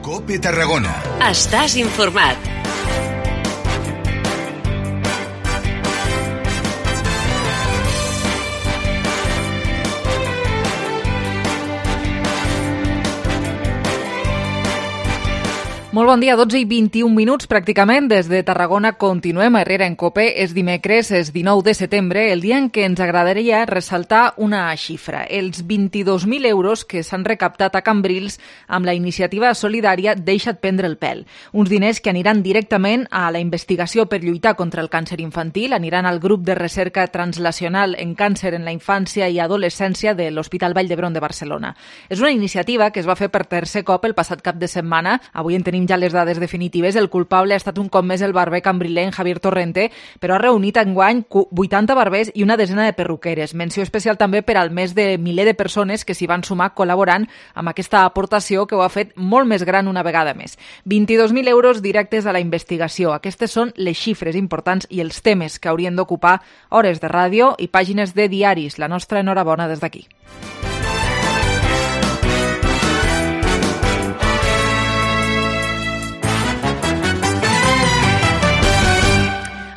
COPE Tarragona. Estàs informat. Molt bon dia, 12 i 21 minuts pràcticament. Des de Tarragona continuem a Herrera en COPE. És dimecres, és 19 de setembre, el dia en què ens agradaria ressaltar una xifra. Els 22.000 euros que s'han recaptat a Cambrils amb la iniciativa solidària Deixa't prendre el pèl. Uns diners que aniran directament a la investigació per lluitar contra el càncer infantil, aniran al grup de recerca translacional en càncer en la infància i adolescència de l'Hospital Vall d'Hebron de Barcelona. És una iniciativa que es va fer per tercer cop el passat cap de setmana. Avui en tenim ja les dades definitives. El culpable ha estat un cop més el barber cambrilenc Javier Torrente, però ha reunit enguany 80 barbers i una desena de perruqueres. Menció especial també per al més de miler de persones que s'hi van sumar col·laborant amb aquesta aportació que ho ha fet molt més gran una vegada més. 22.000 euros directes a la investigació. Aquestes són les xifres importants i els temes que haurien d'ocupar hores de ràdio i pàgines de diaris. La nostra enhorabona des d'aquí.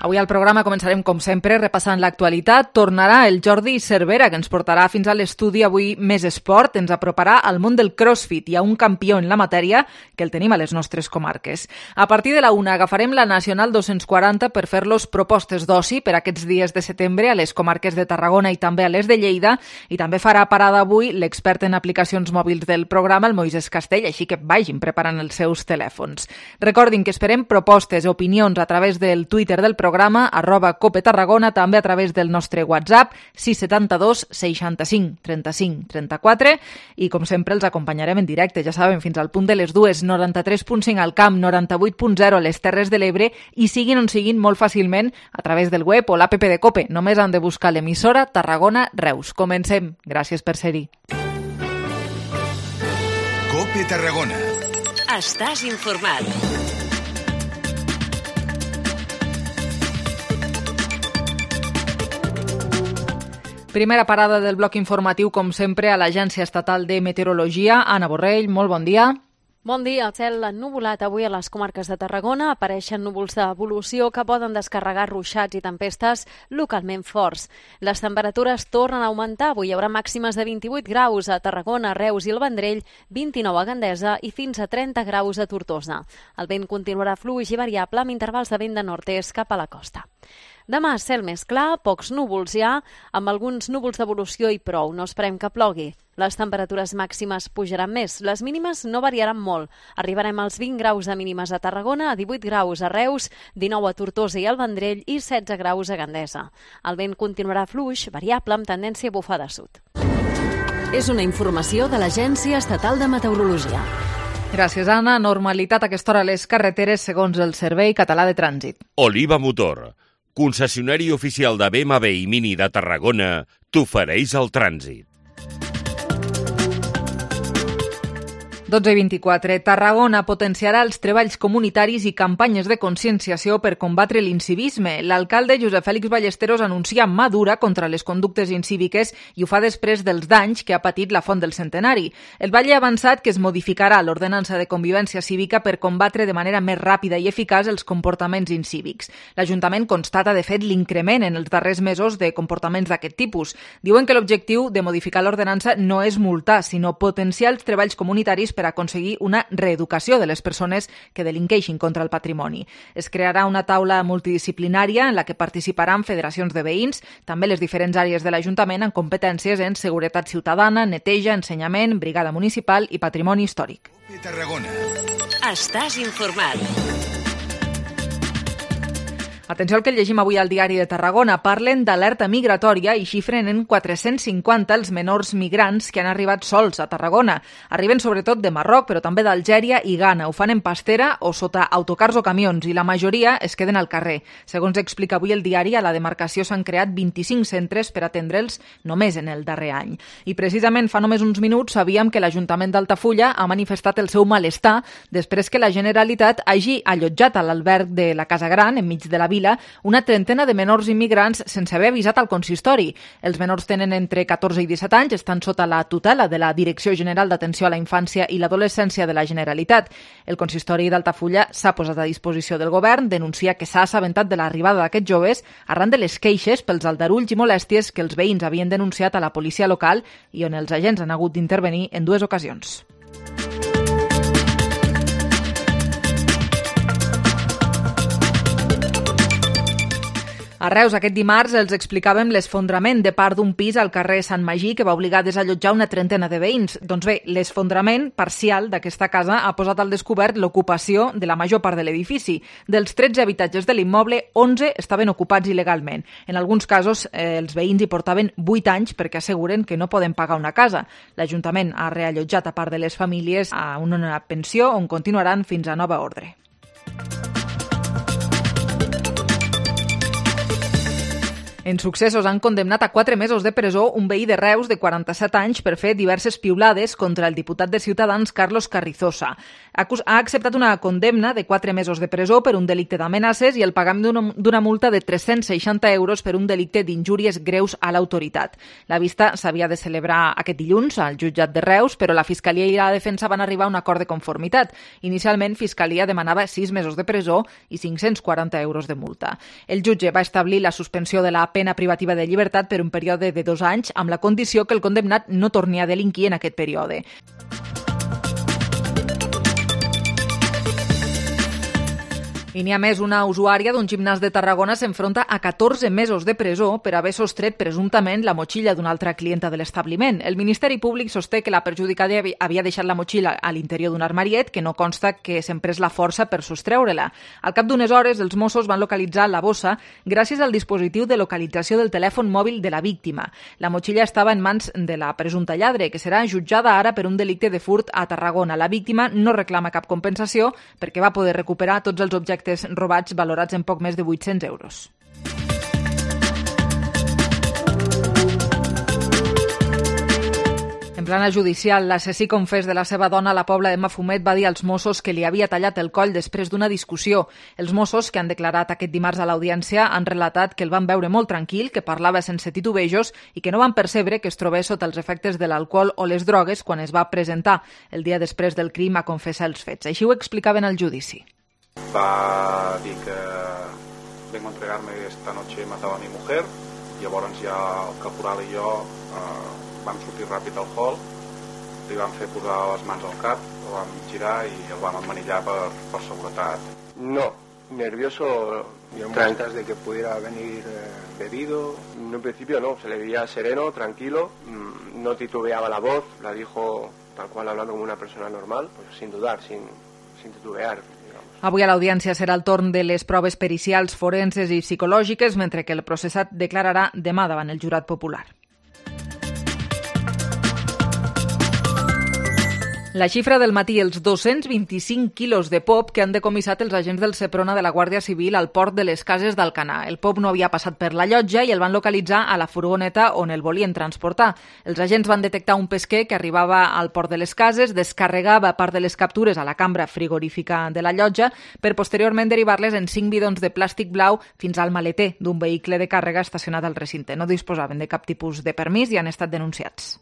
Avui al programa començarem, com sempre, repassant l'actualitat. Tornarà el Jordi Cervera, que ens portarà fins a l'estudi avui Més Esport. Ens aproparà al món del crossfit. Hi ha un campió en la matèria que el tenim a les nostres comarques. A partir de la 1 agafarem la Nacional 240 per fer-los propostes d'oci per aquests dies de setembre a les comarques de Tarragona i també a les de Lleida. I també farà parada avui l'expert en aplicacions mòbils del programa, el Moisés Castell, així que vagin preparant els seus telèfons. Recordin que esperem propostes i opinions a través del Twitter del programa, @COPE Tarragona, també a través del nostre WhatsApp 672 65 35 34 i com sempre els acompanyarem en directe, ja saben, fins al punt de les 2, 93.5 al Camp, 98.0 a les Terres de l'Ebre i siguin on siguin molt fàcilment a través del web o l'app de COPE. Només han de buscar l'emissora Tarragona Reus. Comencem. Gràcies per ser-hi. COPE Tarragona. Estàs informat. Primera parada del bloc informatiu, com sempre, a l'Agència Estatal de Meteorologia. Anna Borrell, molt bon dia. Bon dia. El cel ennuvolat avui a les comarques de Tarragona. Apareixen núvols d'evolució que poden descarregar ruixats i tempestes localment forts. Les temperatures tornen a augmentar. Avui hi haurà màximes de 28 graus a Tarragona, Reus i el Vendrell, 29 a Gandesa i fins a 30 graus a Tortosa. El vent continuarà fluix i variable amb intervals de vent de nord-est cap a la costa. Demà, cel més clar, pocs núvols ja, amb alguns núvols d'evolució i prou. No esperem que plogui. Les temperatures màximes pujaran més. Les mínimes no variaran molt. Arribarem als 20 graus de mínimes a Tarragona, a 18 graus a Reus, 19 a Tortosa i al Vendrell i 16 graus a Gandesa. El vent continuarà fluix, variable, amb tendència a bufar de sud. És una informació de l'Agència Estatal de Meteorologia. Gràcies, Anna. Normalitat a aquesta hora a les carreteres segons el Servei Català de Trànsit. Oliva Motor, concessionari oficial de BMW i Mini de Tarragona, t'ofereix el trànsit. 12:24. Tarragona potenciarà els treballs comunitaris i campanyes de conscienciació per combatre l'incivisme. L'alcalde Josep Fèlix Ballesteros anuncia mà dura contra les conductes incíviques i ho fa després dels danys que ha patit la Font del Centenari. El Valle ha avançat que es modificarà l'ordenança de convivència cívica per combatre de manera més ràpida i eficaç els comportaments incívics. L'Ajuntament constata, de fet, l'increment en els darrers mesos de comportaments d'aquest tipus. Diuen que l'objectiu de modificar l'ordenança no és multar, sinó potenciar els treballs comunitaris per aconseguir una reeducació de les persones que delinqueixin contra el patrimoni. Es crearà una taula multidisciplinària en la que participaran federacions de veïns, també les diferents àrees de l'Ajuntament amb competències en seguretat ciutadana, neteja, ensenyament, brigada municipal i patrimoni històric. Tarragona. Estàs informat. Atenció al que llegim avui al Diari de Tarragona. Parlen d'alerta migratòria i xifren en 450 els menors migrants que han arribat sols a Tarragona. Arriben sobretot de Marroc, però també d'Algèria i Ghana. Ho fan en pastera o sota autocars o camions i la majoria es queden al carrer. Segons explica avui el diari, a la demarcació s'han creat 25 centres per atendre'ls només en el darrer any. I precisament fa només uns minuts sabíem que l'Ajuntament d'Altafulla ha manifestat el seu malestar després que la Generalitat hagi allotjat a l'alberg de la Casa Gran, enmig de la vila, vila una trentena de menors immigrants sense haver avisat al consistori. Els menors tenen entre 14 i 17 anys, estan sota la tutela de la Direcció General d'Atenció a la Infància i l'Adolescència de la Generalitat. El consistori d'Altafulla s'ha posat a disposició del govern, denuncia que s'ha assabentat de l'arribada d'aquests joves arran de les queixes pels aldarulls i molèsties que els veïns havien denunciat a la policia local i on els agents han hagut d'intervenir en 2 ocasions. A Reus, aquest dimarts, els explicàvem l'esfondrament de part d'un pis al carrer Sant Magí que va obligar a desallotjar una trentena de veïns. Doncs bé, l'esfondrament parcial d'aquesta casa ha posat al descobert l'ocupació de la major part de l'edifici. Dels 13 habitatges de l'immoble, 11 estaven ocupats il·legalment. En alguns casos, els veïns hi portaven 8 anys perquè asseguren que no poden pagar una casa. L'Ajuntament ha reallotjat a part de les famílies a una pensió on continuaran fins a nova ordre. En successos han condemnat a 4 mesos de presó un veí de Reus de 47 anys per fer diverses piulades contra el diputat de Ciutadans Carlos Carrizosa. Ha acceptat una condemna de 4 mesos de presó per un delicte d'amenaces i el pagament d'una multa de 360 euros per un delicte d'injúries greus a l'autoritat. La vista s'havia de celebrar aquest dilluns al jutjat de Reus, però la Fiscalia i la Defensa van arribar a un acord de conformitat. Inicialment, Fiscalia demanava 6 mesos de presó i 540 euros de multa. El jutge va establir la suspensió de la pena privativa de llibertat per un període de 2 anys, amb la condició que el condemnat no torni a delinquir en aquest període. I n'hi ha més, una usuària d'un gimnàs de Tarragona s'enfronta a 14 mesos de presó per haver sostret presumptament la motxilla d'una altra clienta de l'establiment. El Ministeri Públic sosté que la perjudicada havia deixat la motxilla a l'interior d'un armariet que no consta que s'emprés la força per sostreure-la. Al cap d'unes hores, els Mossos van localitzar la bossa gràcies al dispositiu de localització del telèfon mòbil de la víctima. La motxilla estava en mans de la presumpta lladre, que serà jutjada ara per un delicte de furt a Tarragona. La víctima no reclama cap compensació perquè va poder recuperar tots els objectes robats valorats en poc més de 800 euros. En plana judicial, l'assassí confés de la seva dona a la Pobla de Mafumet va dir als Mossos que li havia tallat el coll després d'una discussió. Els Mossos, que han declarat aquest dimarts a l'audiència, han relatat que el van veure molt tranquil, que parlava sense titubejos i que no van percebre que es trobés sota els efectes de l'alcohol o les drogues quan es va presentar el dia després del crim a confessar els fets. Així ho explicaven al judici. Va dir que vengo a entregarme esta noche, he matado a mi mujer. Llavors ja el caporal i jo vam sortir ràpid al hall, li vam fer posar les mans al cap, el vam girar i el vam emmanillar per seguretat. No, nervioso, antes de que pudiera venir bebido. En un principio no, se le veía sereno, tranquilo, no titubeaba la voz, la dijo tal cual hablando como una persona normal, pues sin dudar, sin titubear. Avui a l'audiència serà el torn de les proves pericials, forenses i psicològiques, mentre que el processat declararà demà davant el jurat popular. La xifra del matí, els 225 quilos de pop que han decomissat els agents del Seprona de la Guàrdia Civil al port de les Cases d'Alcanar. El pop no havia passat per la llotja i el van localitzar a la furgoneta on el volien transportar. Els agents van detectar un pesquer que arribava al port de les Cases, descarregava part de les captures a la cambra frigorífica de la llotja per posteriorment derivar-les en 5 bidons de plàstic blau fins al maleter d'un vehicle de càrrega estacionat al recinte. No disposaven de cap tipus de permís i han estat denunciats.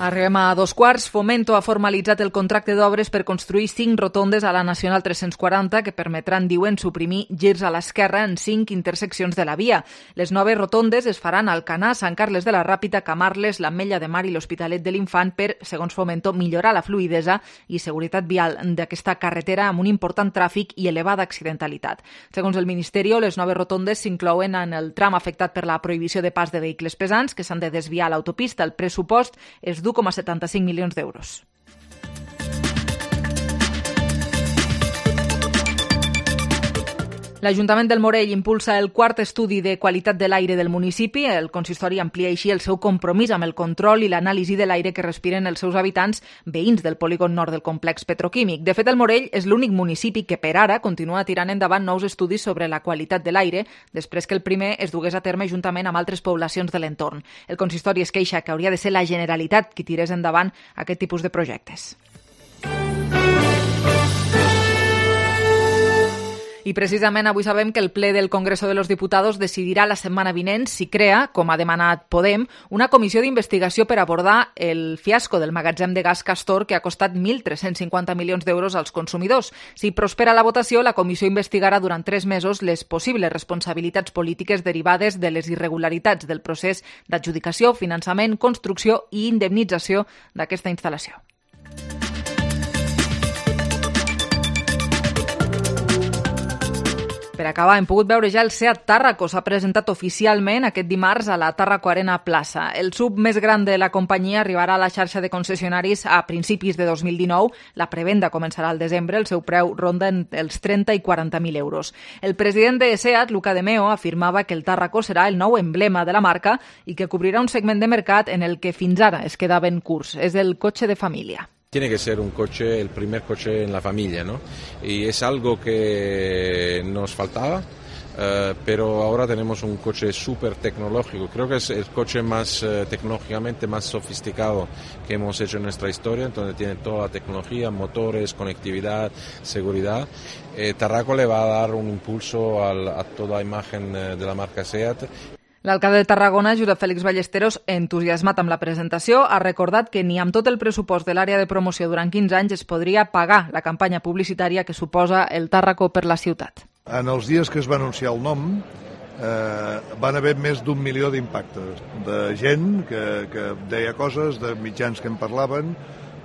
Arribem a 2:15. Fomento ha formalitzat el contracte d'obres per construir 5 rotondes a la Nacional 340 que permetran, diuen, suprimir girs a l'esquerra en 5 interseccions de la via. Les noves rotondes es faran a Alcanar, Sant Carles de la Ràpita, Camarles, l'Ametlla de Mar i l'Hospitalet de l'Infant per, segons Fomento, millorar la fluïdesa i seguretat vial d'aquesta carretera amb un important tràfic i elevada accidentalitat. Segons el Ministeri, les noves rotondes s'inclouen en el tram afectat per la prohibició de pas de vehicles pesants que s'han de desviar a l'autopista. El pressupost és d'1,75 milions d'euros. L'Ajuntament del Morell impulsa el quart estudi de qualitat de l'aire del municipi. El consistori amplia així el seu compromís amb el control i l'anàlisi de l'aire que respiren els seus habitants veïns del polígon nord del complex petroquímic. De fet, el Morell és l'únic municipi que per ara continua tirant endavant nous estudis sobre la qualitat de l'aire, després que el primer es dugués a terme juntament amb altres poblacions de l'entorn. El consistori es queixa que hauria de ser la Generalitat qui tirés endavant aquest tipus de projectes. I precisament avui sabem que el ple del Congreso de los Diputados decidirà la setmana vinent si crea, com ha demanat Podem, una comissió d'investigació per abordar el fiasco del magatzem de gas Castor que ha costat 1.350 milions d'euros als consumidors. Si prospera la votació, la comissió investigarà durant 3 mesos les possibles responsabilitats polítiques derivades de les irregularitats del procés d'adjudicació, finançament, construcció i indemnització d'aquesta instal·lació. Per acabar, hem pogut veure ja el Seat Tarraco. S'ha presentat oficialment aquest dimarts a la Tarraco Arena Plaça. El sub més gran de la companyia arribarà a la xarxa de concessionaris a principis de 2019. La prevenda començarà al desembre. El seu preu ronda els 30 i 40.000 euros. El president de Seat, Luca De Meo, afirmava que el Tarraco serà el nou emblema de la marca i que cobrirà un segment de mercat en el que fins ara es quedaven curts. És el cotxe de família. Tiene que ser un coche, el primer coche en la familia, ¿no? Y es algo que nos faltaba, pero ahora tenemos un coche súper tecnológico. Creo que es el coche más tecnológicamente más sofisticado que hemos hecho en nuestra historia, entonces tiene toda la tecnología, motores, conectividad, seguridad. Tarraco le va a dar un impulso a toda la imagen de la marca Seat. L'alcalde de Tarragona, Josep Félix Ballesteros, entusiasmat amb la presentació, ha recordat que ni amb tot el pressupost de l'àrea de promoció durant 15 anys es podria pagar la campanya publicitària que suposa el Tarraco per la ciutat. En els dies que es va anunciar el nom van haver més d'1 milió d'impactes, de gent que deia coses, de mitjans que en parlaven.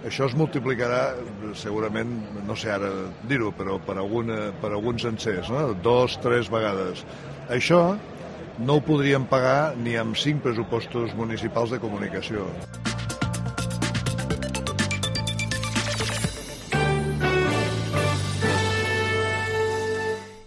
Això es multiplicarà segurament, no sé ara dir-ho, però per alguns sencers, no? 2, 3 vegades. Això no ho podríem pagar ni amb 5 pressupostos municipals de comunicació.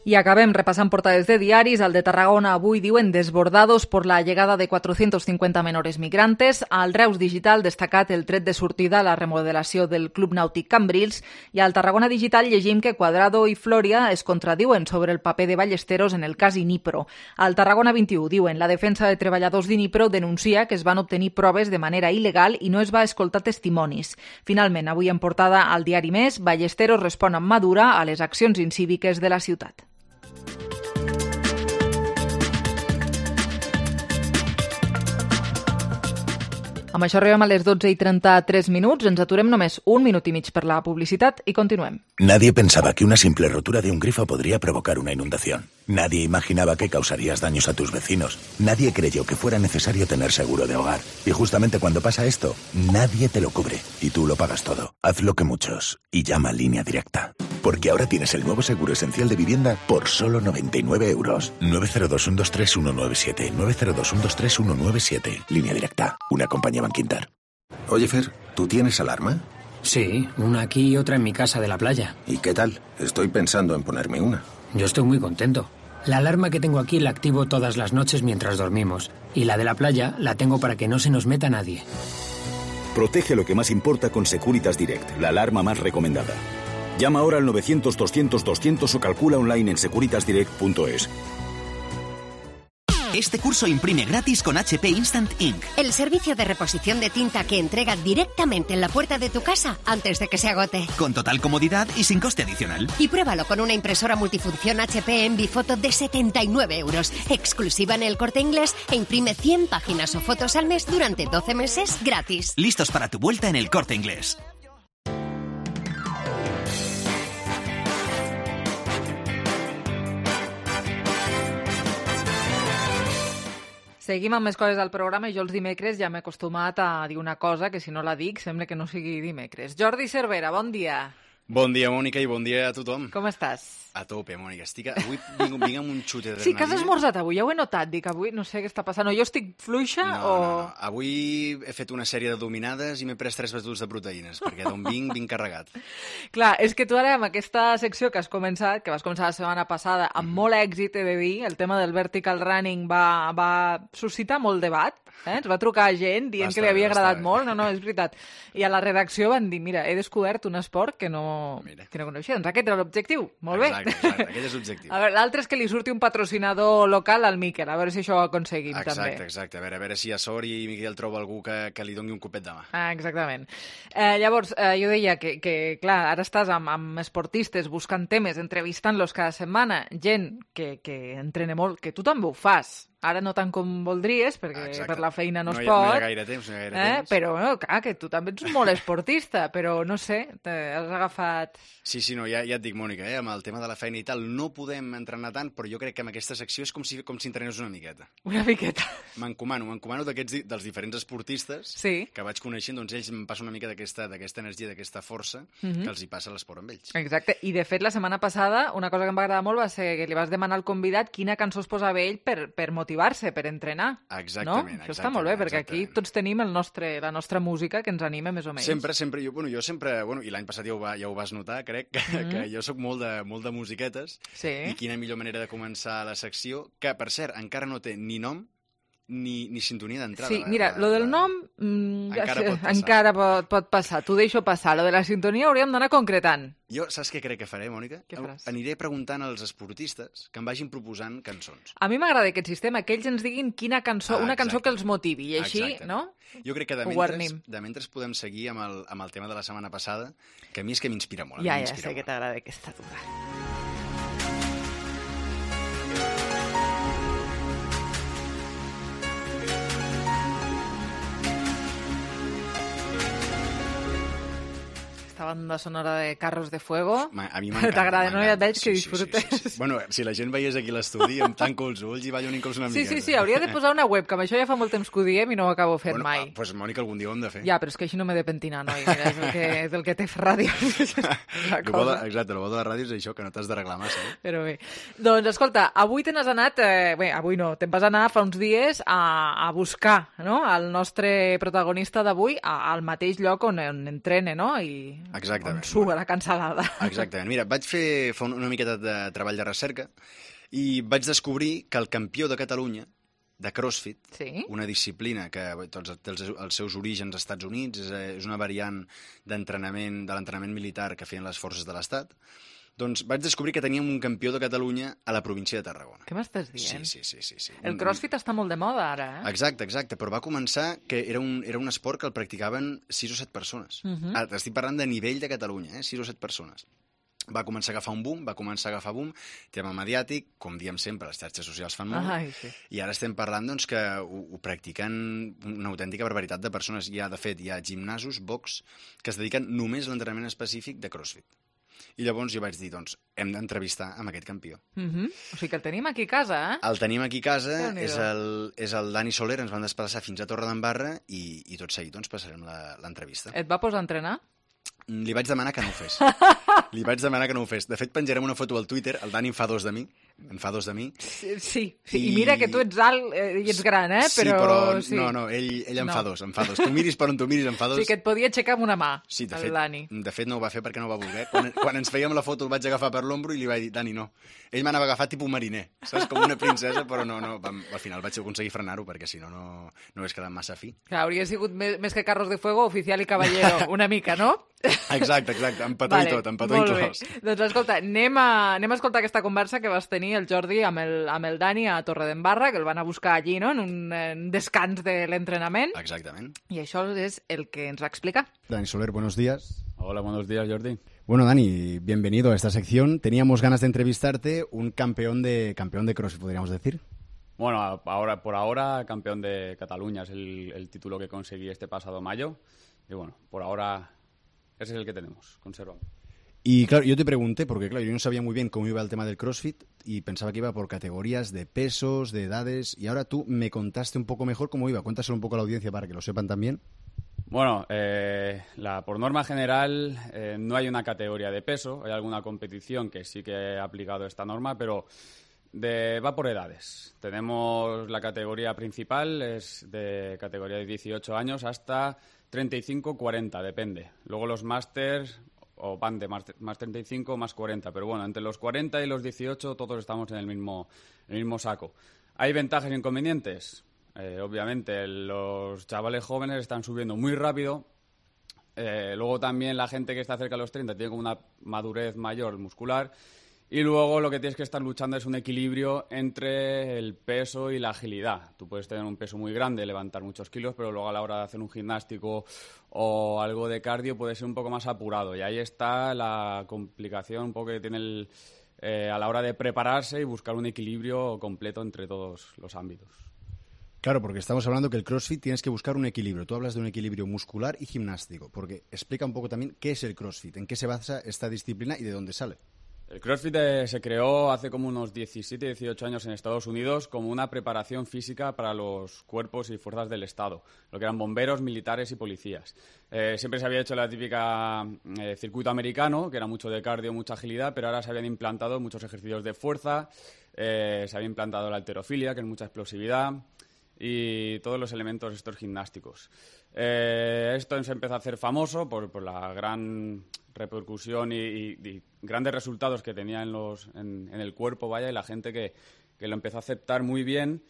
Y acabem repassant portades de diaris. Al de Tarragona avui diuen desbordados por la llegada de 450 menores migrantes. Al Reus Digital destacat el tret de sortida a la remodelació del Club Nàutic Cambrils. I al Tarragona Digital llegim que Cuadrado i Floria es contradiuen sobre el paper de Ballesteros en el cas Inipro. Al Tarragona 21 diuen la defensa de treballadors d'Inipro denuncia que es van obtenir proves de manera il·legal i no es va escoltar testimonis. Finalment, avui en portada al diari Més, Ballesteros respon amb mà dura a les accions incíviques de la ciutat. Amb això arribem a les 12:33. Ens aturem només 1 minut i mig per la publicitat i continuem. Nadie pensaba que una simple rotura de un grifo podría provocar una inundación. Nadie imaginaba que causarías daños a tus vecinos. Nadie creyó que fuera necesario tener seguro de hogar. Y justamente cuando pasa esto, nadie te lo cubre. Y tú lo pagas todo. Haz lo que muchos. Y llama a Línea Directa. Porque ahora tienes el nuevo seguro esencial de vivienda por solo 99 euros. 902-123-197. 902-123-197. Línea Directa. Una compañía Banquinter. Oye, Fer, ¿tú tienes alarma? Sí, una aquí y otra en mi casa de la playa. ¿Y qué tal? Estoy pensando en ponerme una. Yo estoy muy contento. La alarma que tengo aquí la activo todas las noches mientras dormimos. Y la de la playa la tengo para que no se nos meta nadie. Protege lo que más importa con Securitas Direct, la alarma más recomendada. Llama ahora al 900-200-200 o calcula online en securitasdirect.es. Este curso imprime gratis con HP Instant Ink. El servicio de reposición de tinta que entrega directamente en la puerta de tu casa antes de que se agote. Con total comodidad y sin coste adicional. Y pruébalo con una impresora multifunción HP Envifoto de 79 euros, exclusiva en El Corte Inglés, e imprime 100 páginas o fotos al mes durante 12 meses gratis. Listos para tu vuelta en El Corte Inglés. Seguim amb més coses del programa i jo els dimecres ja m'he acostumat a dir una cosa que si no la dic sembla que no sigui dimecres. Jordi Cervera, bon dia. Bon dia, Mònica, i bon dia a tothom. Com estàs? A tope, Mònica. Avui vinc amb un xut d'adrenalina. Sí, que has esmorzat avui, ja ho he notat. Dic, avui no sé què està passant. O jo estic fluixa o... No. Avui he fet una sèrie de dominades i m'he pres 3 batuts de proteïnes, perquè d'on vinc carregat. Clar, és que tu ara amb aquesta secció que has començat, que vas començar la setmana passada, amb molt èxit, he de dir, el tema del vertical running va suscitar molt debat. Ens va trucar gent dient que li havia agradat molt. No, és veritat. I a la redacció van dir, mira, he descobert un esport que no no coneixia. Doncs aquest era l'objectiu. Molt bé. Exacte, aquest és l'objectiu. A veure, l'altre és que li surti un patrocinador local al Miquel, a veure si això ho aconseguim també. Exacte. A veure si a sort i Miquel troba algú que li doni un copet de mà. Exactament. Llavors, jo deia que clar, ara estàs amb esportistes buscant temes, entrevistant-los cada setmana, gent que entrena molt, que tu també ho fas. Ara no tant com voldries, perquè per la feina no es pot. No hi ha gaire temps. Però, clar, que tu també ets molt esportista, però no sé, has agafat... Sí, no, ja et dic, Mònica, amb el tema de la feina i tal, no podem entrenar tant, però jo crec que amb aquesta secció és com si entrenés una miqueta. Una miqueta. M'encomano dels diferents esportistes que vaig coneixent, doncs ells em passen una mica d'aquesta energia, d'aquesta força que els hi passa l'esport amb ells. Exacte, i de fet la setmana passada una cosa que em va agradar molt va ser que li vas demanar al convidat quina cançó es posava ell per motivar-se, per entrenar. Exactament. Això està molt bé, perquè aquí tots tenim la nostra música que ens anima més o menys. Sempre, jo sempre, i l'any passat ja ho vas notar, crec, que jo sóc molt de musiquetes, i quina millor manera de començar la secció, que, per cert, encara no té ni nom ni sintonia d'entrada. Sí, mira, lo del nom encara pot passar. T'ho deixo passar. Lo de la sintonia hauríem d'anar concretant. Jo, saps què crec que faré, Mònica? Què faràs? Aniré preguntant als esportistes que em vagin proposant cançons. A mi m'agrada aquest sistema, que ells ens diguin quina cançó, una cançó que els motivi, i així, no? Jo crec que de mentre podem seguir amb el tema de la setmana passada, que a mi és que m'inspira molt. Ja sé que t'agrada aquesta dura. Esta banda sonora de Carros de Fuego. A mi m'encanta. T'agrada, no? Ja et veig que disfrutes. Sí. Bueno, si la gent veiés aquí l'estudi, em tanco els ulls i ballo un inclús una mica. Sí, hauria de posar una webcam. Això ja fa molt temps que ho diem i no ho acabo fent mai. Doncs, Mònica, algun dia ho hem de fer. Ja, però és que així no m'he de pentinar, noi. Mira, és el que té fer ràdio. Exacte, el bo de la ràdio és això, que no t'has d'arreglar massa. Però bé. Doncs, escolta, avui te n'has anat... avui no, te'n vas anar fa uns dies a buscar, no?, el nostre protagonista d'avui al mateix lloc on entrena, no?, i on surt a la cansalada. Exactament. Mira, vaig fer una miqueta de treball de recerca i vaig descobrir que el campió de Catalunya de CrossFit, una disciplina que té els seus orígens als Estats Units, és una variant d'entrenament, de l'entrenament militar que feien les forces de l'Estat, doncs vaig descobrir que teníem un campió de Catalunya a la província de Tarragona. Què m'estàs dient? Sí. El CrossFit està molt de moda ara, eh? Exacte, però va començar que era un esport que el practicaven 6 o 7 persones. Estic parlant de nivell de Catalunya, 6 o 7 persones. Va començar a agafar boom, tema mediàtic, com diem sempre, les xarxes socials fan molt, i ara estem parlant doncs, que ho practiquen una autèntica barbaritat de persones. De fet, hi ha gimnasos, box, que es dediquen només a l'entrenament específic de CrossFit. I llavors jo vaig dir, doncs, hem d'entrevistar amb aquest campió. O sigui que el tenim aquí a casa, eh? El tenim aquí a casa, és el Dani Soler, ens van desplaçar fins a Torredembarra i tot seguit doncs, passarem l'entrevista. Et va posar a entrenar? Li vaig demanar que no ho fes. De fet, penjarem una foto al Twitter, el Dani en fa dos de mi. Sí. I mira que tu ets alt i ets gran, eh? Però... No, ell en fa dos. Tu miris per on tu miris, en fa dos. Sí, que et podia aixecar amb una mà, el Dani. De fet, no ho va fer perquè no va voler. Quan ens fèiem la foto el vaig agafar per l'ombro i li vaig dir, Dani, no. Ell m'anava agafat tipus mariner, saps? Com una princesa, però no. Al final vaig aconseguir frenar-ho perquè si no hagués quedat massa fi. Clar, hauria sigut més que Carros de Fuego, oficial i caballero, una mica, no? Exacte, amb petó i tot, amb petó inclòs. Doncs escolta, anem a escoltar aquesta conversa que vas tenir el Jordi amb el Dani a Torredembarra, que el van a buscar allí, no?, en un descans de l'entrenament. Exactament. I això és el que ens va explicar. Dani Soler, buenos días. Hola, buenos días, Jordi. Bueno, Dani, bienvenido a esta sección. Teníamos ganas de entrevistarte, un campeón de CrossFit, podríamos decir. Bueno, por ahora campeón de Cataluña es el título que conseguí este pasado mayo. Y bueno, por ahora ese es el que tenemos, conservamos. Y claro, yo te pregunté, porque claro, yo no sabía muy bien cómo iba el tema del CrossFit y pensaba que iba por categorías de pesos, de edades, y ahora tú me contaste un poco mejor cómo iba. Cuéntaselo un poco a la audiencia para que lo sepan también. Bueno, por norma general no hay una categoría de peso, hay alguna competición que sí que ha aplicado esta norma, pero va por edades. Tenemos la categoría principal, es de categoría de 18 años hasta 35-40, depende. Luego los másters o van de más 35 más 40, pero bueno, entre los 40 y los 18 todos estamos en el mismo saco. ¿Hay ventajas e inconvenientes? Obviamente los chavales jóvenes están subiendo muy rápido Luego también la gente que está cerca de los 30 tiene como una madurez mayor muscular. Y luego lo que tienes que estar luchando es un equilibrio entre el peso y la agilidad. Tú puedes tener un peso muy grande, levantar muchos kilos, pero luego a la hora de hacer un gimnástico o algo de cardio puede ser un poco más apurado. Y ahí está la complicación un poco que tiene a la hora de prepararse y buscar un equilibrio completo entre todos los ámbitos. Claro, porque estamos hablando que el CrossFit tienes que buscar un equilibrio. Tú hablas de un equilibrio muscular y gimnástico, porque explica un poco también qué es el CrossFit, en qué se basa esta disciplina y de dónde sale. El CrossFit se creó hace como unos 17, 18 años en Estados Unidos como una preparación física para los cuerpos y fuerzas del Estado, lo que eran bomberos, militares y policías. Siempre se había hecho la típica circuito americano, que era mucho de cardio, mucha agilidad, pero ahora se habían implantado muchos ejercicios de fuerza, se había implantado la halterofilia, que es mucha explosividad, y todos los elementos estos gimnásticos. Esto se empezó a hacer famoso por la gran repercusión y grandes resultados que tenía en el cuerpo, y la gente que lo empezó a aceptar muy bien.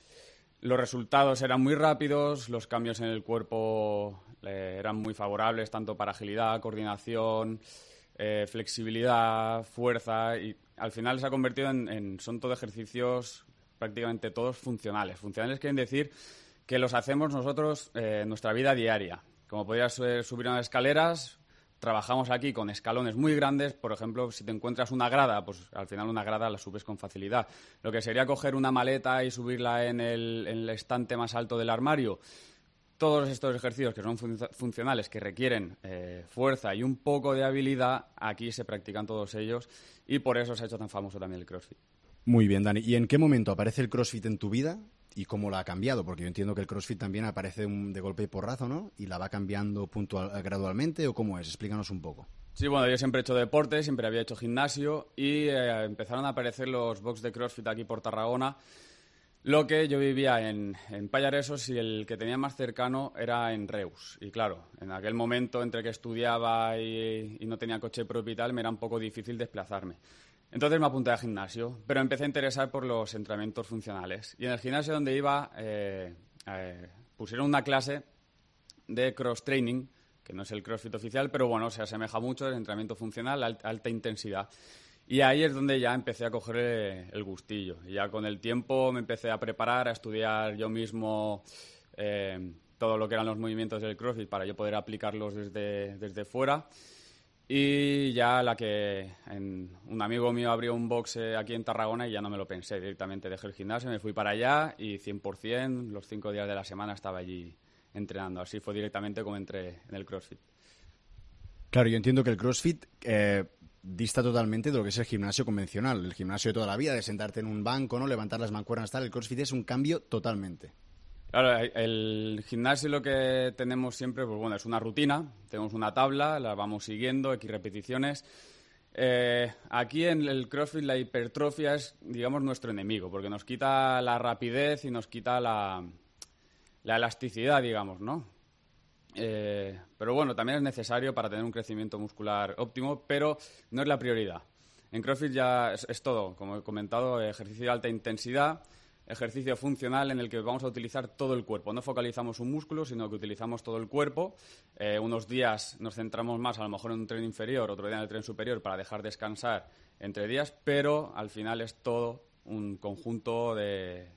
Los resultados eran muy rápidos, los cambios en el cuerpo eran muy favorables, tanto para agilidad, coordinación, flexibilidad, fuerza, y al final se ha convertido son todo ejercicios prácticamente todos funcionales. Funcionales quieren decir que los hacemos nosotros en nuestra vida diaria. Como podrías subir unas escaleras, trabajamos aquí con escalones muy grandes. Por ejemplo, si te encuentras una grada, pues al final una grada la subes con facilidad. Lo que sería coger una maleta y subirla en el estante más alto del armario. Todos estos ejercicios que son funcionales, que requieren fuerza y un poco de habilidad, aquí se practican todos ellos y por eso se ha hecho tan famoso también el CrossFit. Muy bien, Dani. ¿Y en qué momento aparece el CrossFit en tu vida y cómo la ha cambiado? Porque yo entiendo que el CrossFit también aparece de golpe y porrazo, ¿no? ¿Y la va cambiando gradualmente o cómo es? Explícanos un poco. Sí, bueno, yo siempre he hecho deporte, siempre había hecho gimnasio y empezaron a aparecer los box de CrossFit aquí por Tarragona. Lo que yo vivía en Pallaresos y el que tenía más cercano era en Reus. Y claro, en aquel momento, entre que estudiaba y no tenía coche propio y tal, me era un poco difícil desplazarme. Entonces me apunté al gimnasio, pero empecé a interesar por los entrenamientos funcionales. Y en el gimnasio donde iba pusieron una clase de cross-training, que no es el CrossFit oficial, pero bueno, se asemeja mucho al entrenamiento funcional, alta intensidad. Y ahí es donde ya empecé a coger el gustillo. Y ya con el tiempo me empecé a preparar, a estudiar yo mismo todo lo que eran los movimientos del CrossFit para yo poder aplicarlos desde fuera. Y ya un amigo mío abrió un box aquí en Tarragona y ya no me lo pensé, directamente dejé el gimnasio, me fui para allá y 100%, los 5 días de la semana estaba allí entrenando. Así fue directamente como entré en el CrossFit. Claro, yo entiendo que el CrossFit dista totalmente de lo que es el gimnasio convencional, el gimnasio de toda la vida, de sentarte en un banco, ¿no? Levantar las mancuernas, tal. El CrossFit es un cambio totalmente. Claro, el gimnasio lo que tenemos siempre, pues bueno, es una rutina, tenemos una tabla, la vamos siguiendo, X repeticiones. Aquí en el CrossFit la hipertrofia es, digamos, nuestro enemigo, porque nos quita la rapidez y nos quita la elasticidad, digamos, ¿no? Pero bueno, también es necesario para tener un crecimiento muscular óptimo, pero no es la prioridad. En CrossFit ya es todo, como he comentado, ejercicio de alta intensidad, ejercicio funcional en el que vamos a utilizar todo el cuerpo. No focalizamos un músculo, sino que utilizamos todo el cuerpo. Unos días nos centramos más a lo mejor en un tren inferior, otro día en el tren superior para dejar descansar entre días, pero al final es todo un conjunto de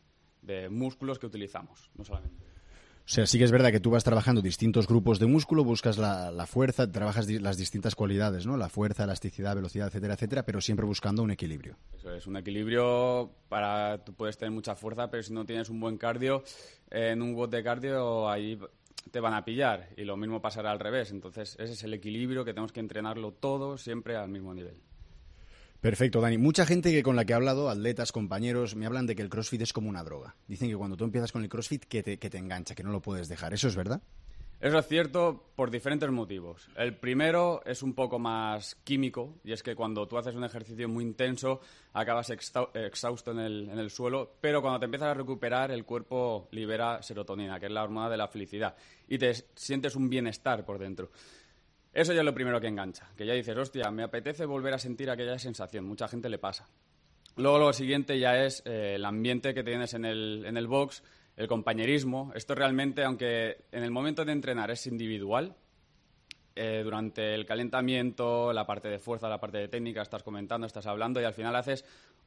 músculos que utilizamos, no solamente. O sea, sí que es verdad que tú vas trabajando distintos grupos de músculo, buscas la fuerza, trabajas las distintas cualidades, ¿no? La fuerza, elasticidad, velocidad, etcétera, etcétera, pero siempre buscando un equilibrio. Eso es, un equilibrio tú puedes tener mucha fuerza, pero si no tienes un buen cardio, en un WOD de cardio ahí te van a pillar y lo mismo pasará al revés. Entonces, ese es el equilibrio que tenemos que entrenarlo todo siempre al mismo nivel. Perfecto, Dani. Mucha gente con la que he hablado, atletas, compañeros, me hablan de que el CrossFit es como una droga. Dicen que cuando tú empiezas con el CrossFit que te engancha, que no lo puedes dejar. ¿Eso es verdad? Eso es cierto por diferentes motivos. El primero es un poco más químico y es que cuando tú haces un ejercicio muy intenso acabas exhausto en el suelo, pero cuando te empiezas a recuperar el cuerpo libera serotonina, que es la hormona de la felicidad, y te sientes un bienestar por dentro. Eso ya es lo primero que engancha, que ya dices, hostia, me apetece volver a sentir aquella sensación. Mucha gente le pasa. Luego lo siguiente ya es el ambiente que tienes en el box, el compañerismo. Esto realmente, aunque en el momento de entrenar es individual, durante el calentamiento, la parte de fuerza, la parte de técnica, estás comentando, estás hablando y al final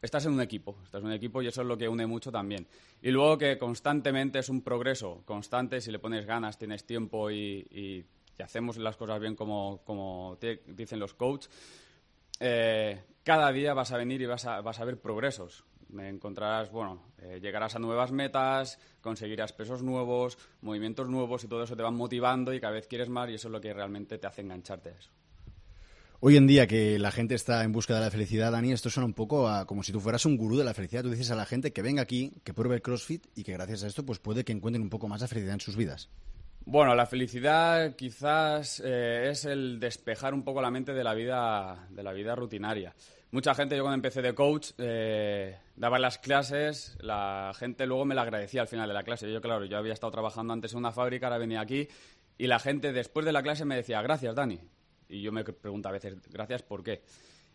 estás en un equipo y eso es lo que une mucho también. Y luego que constantemente es un progreso constante, si le pones ganas, tienes tiempo y hacemos las cosas bien como dicen los coaches, cada día vas a venir y vas a ver progresos. Encontrarás, llegarás a nuevas metas, conseguirás pesos nuevos, movimientos nuevos y todo eso te va motivando y cada vez quieres más y eso es lo que realmente te hace engancharte a eso. Hoy en día que la gente está en busca de la felicidad, Dani, esto suena un poco como si tú fueras un gurú de la felicidad. Tú dices a la gente que venga aquí, que pruebe el CrossFit y que gracias a esto pues puede que encuentren un poco más la felicidad en sus vidas. Bueno, la felicidad quizás es el despejar un poco la mente de la vida rutinaria. Mucha gente, yo cuando empecé de coach, daba las clases, la gente luego me la agradecía al final de la clase. Yo había estado trabajando antes en una fábrica, ahora venía aquí y la gente después de la clase me decía, gracias, Dani. Y yo me pregunto a veces, gracias, ¿por qué?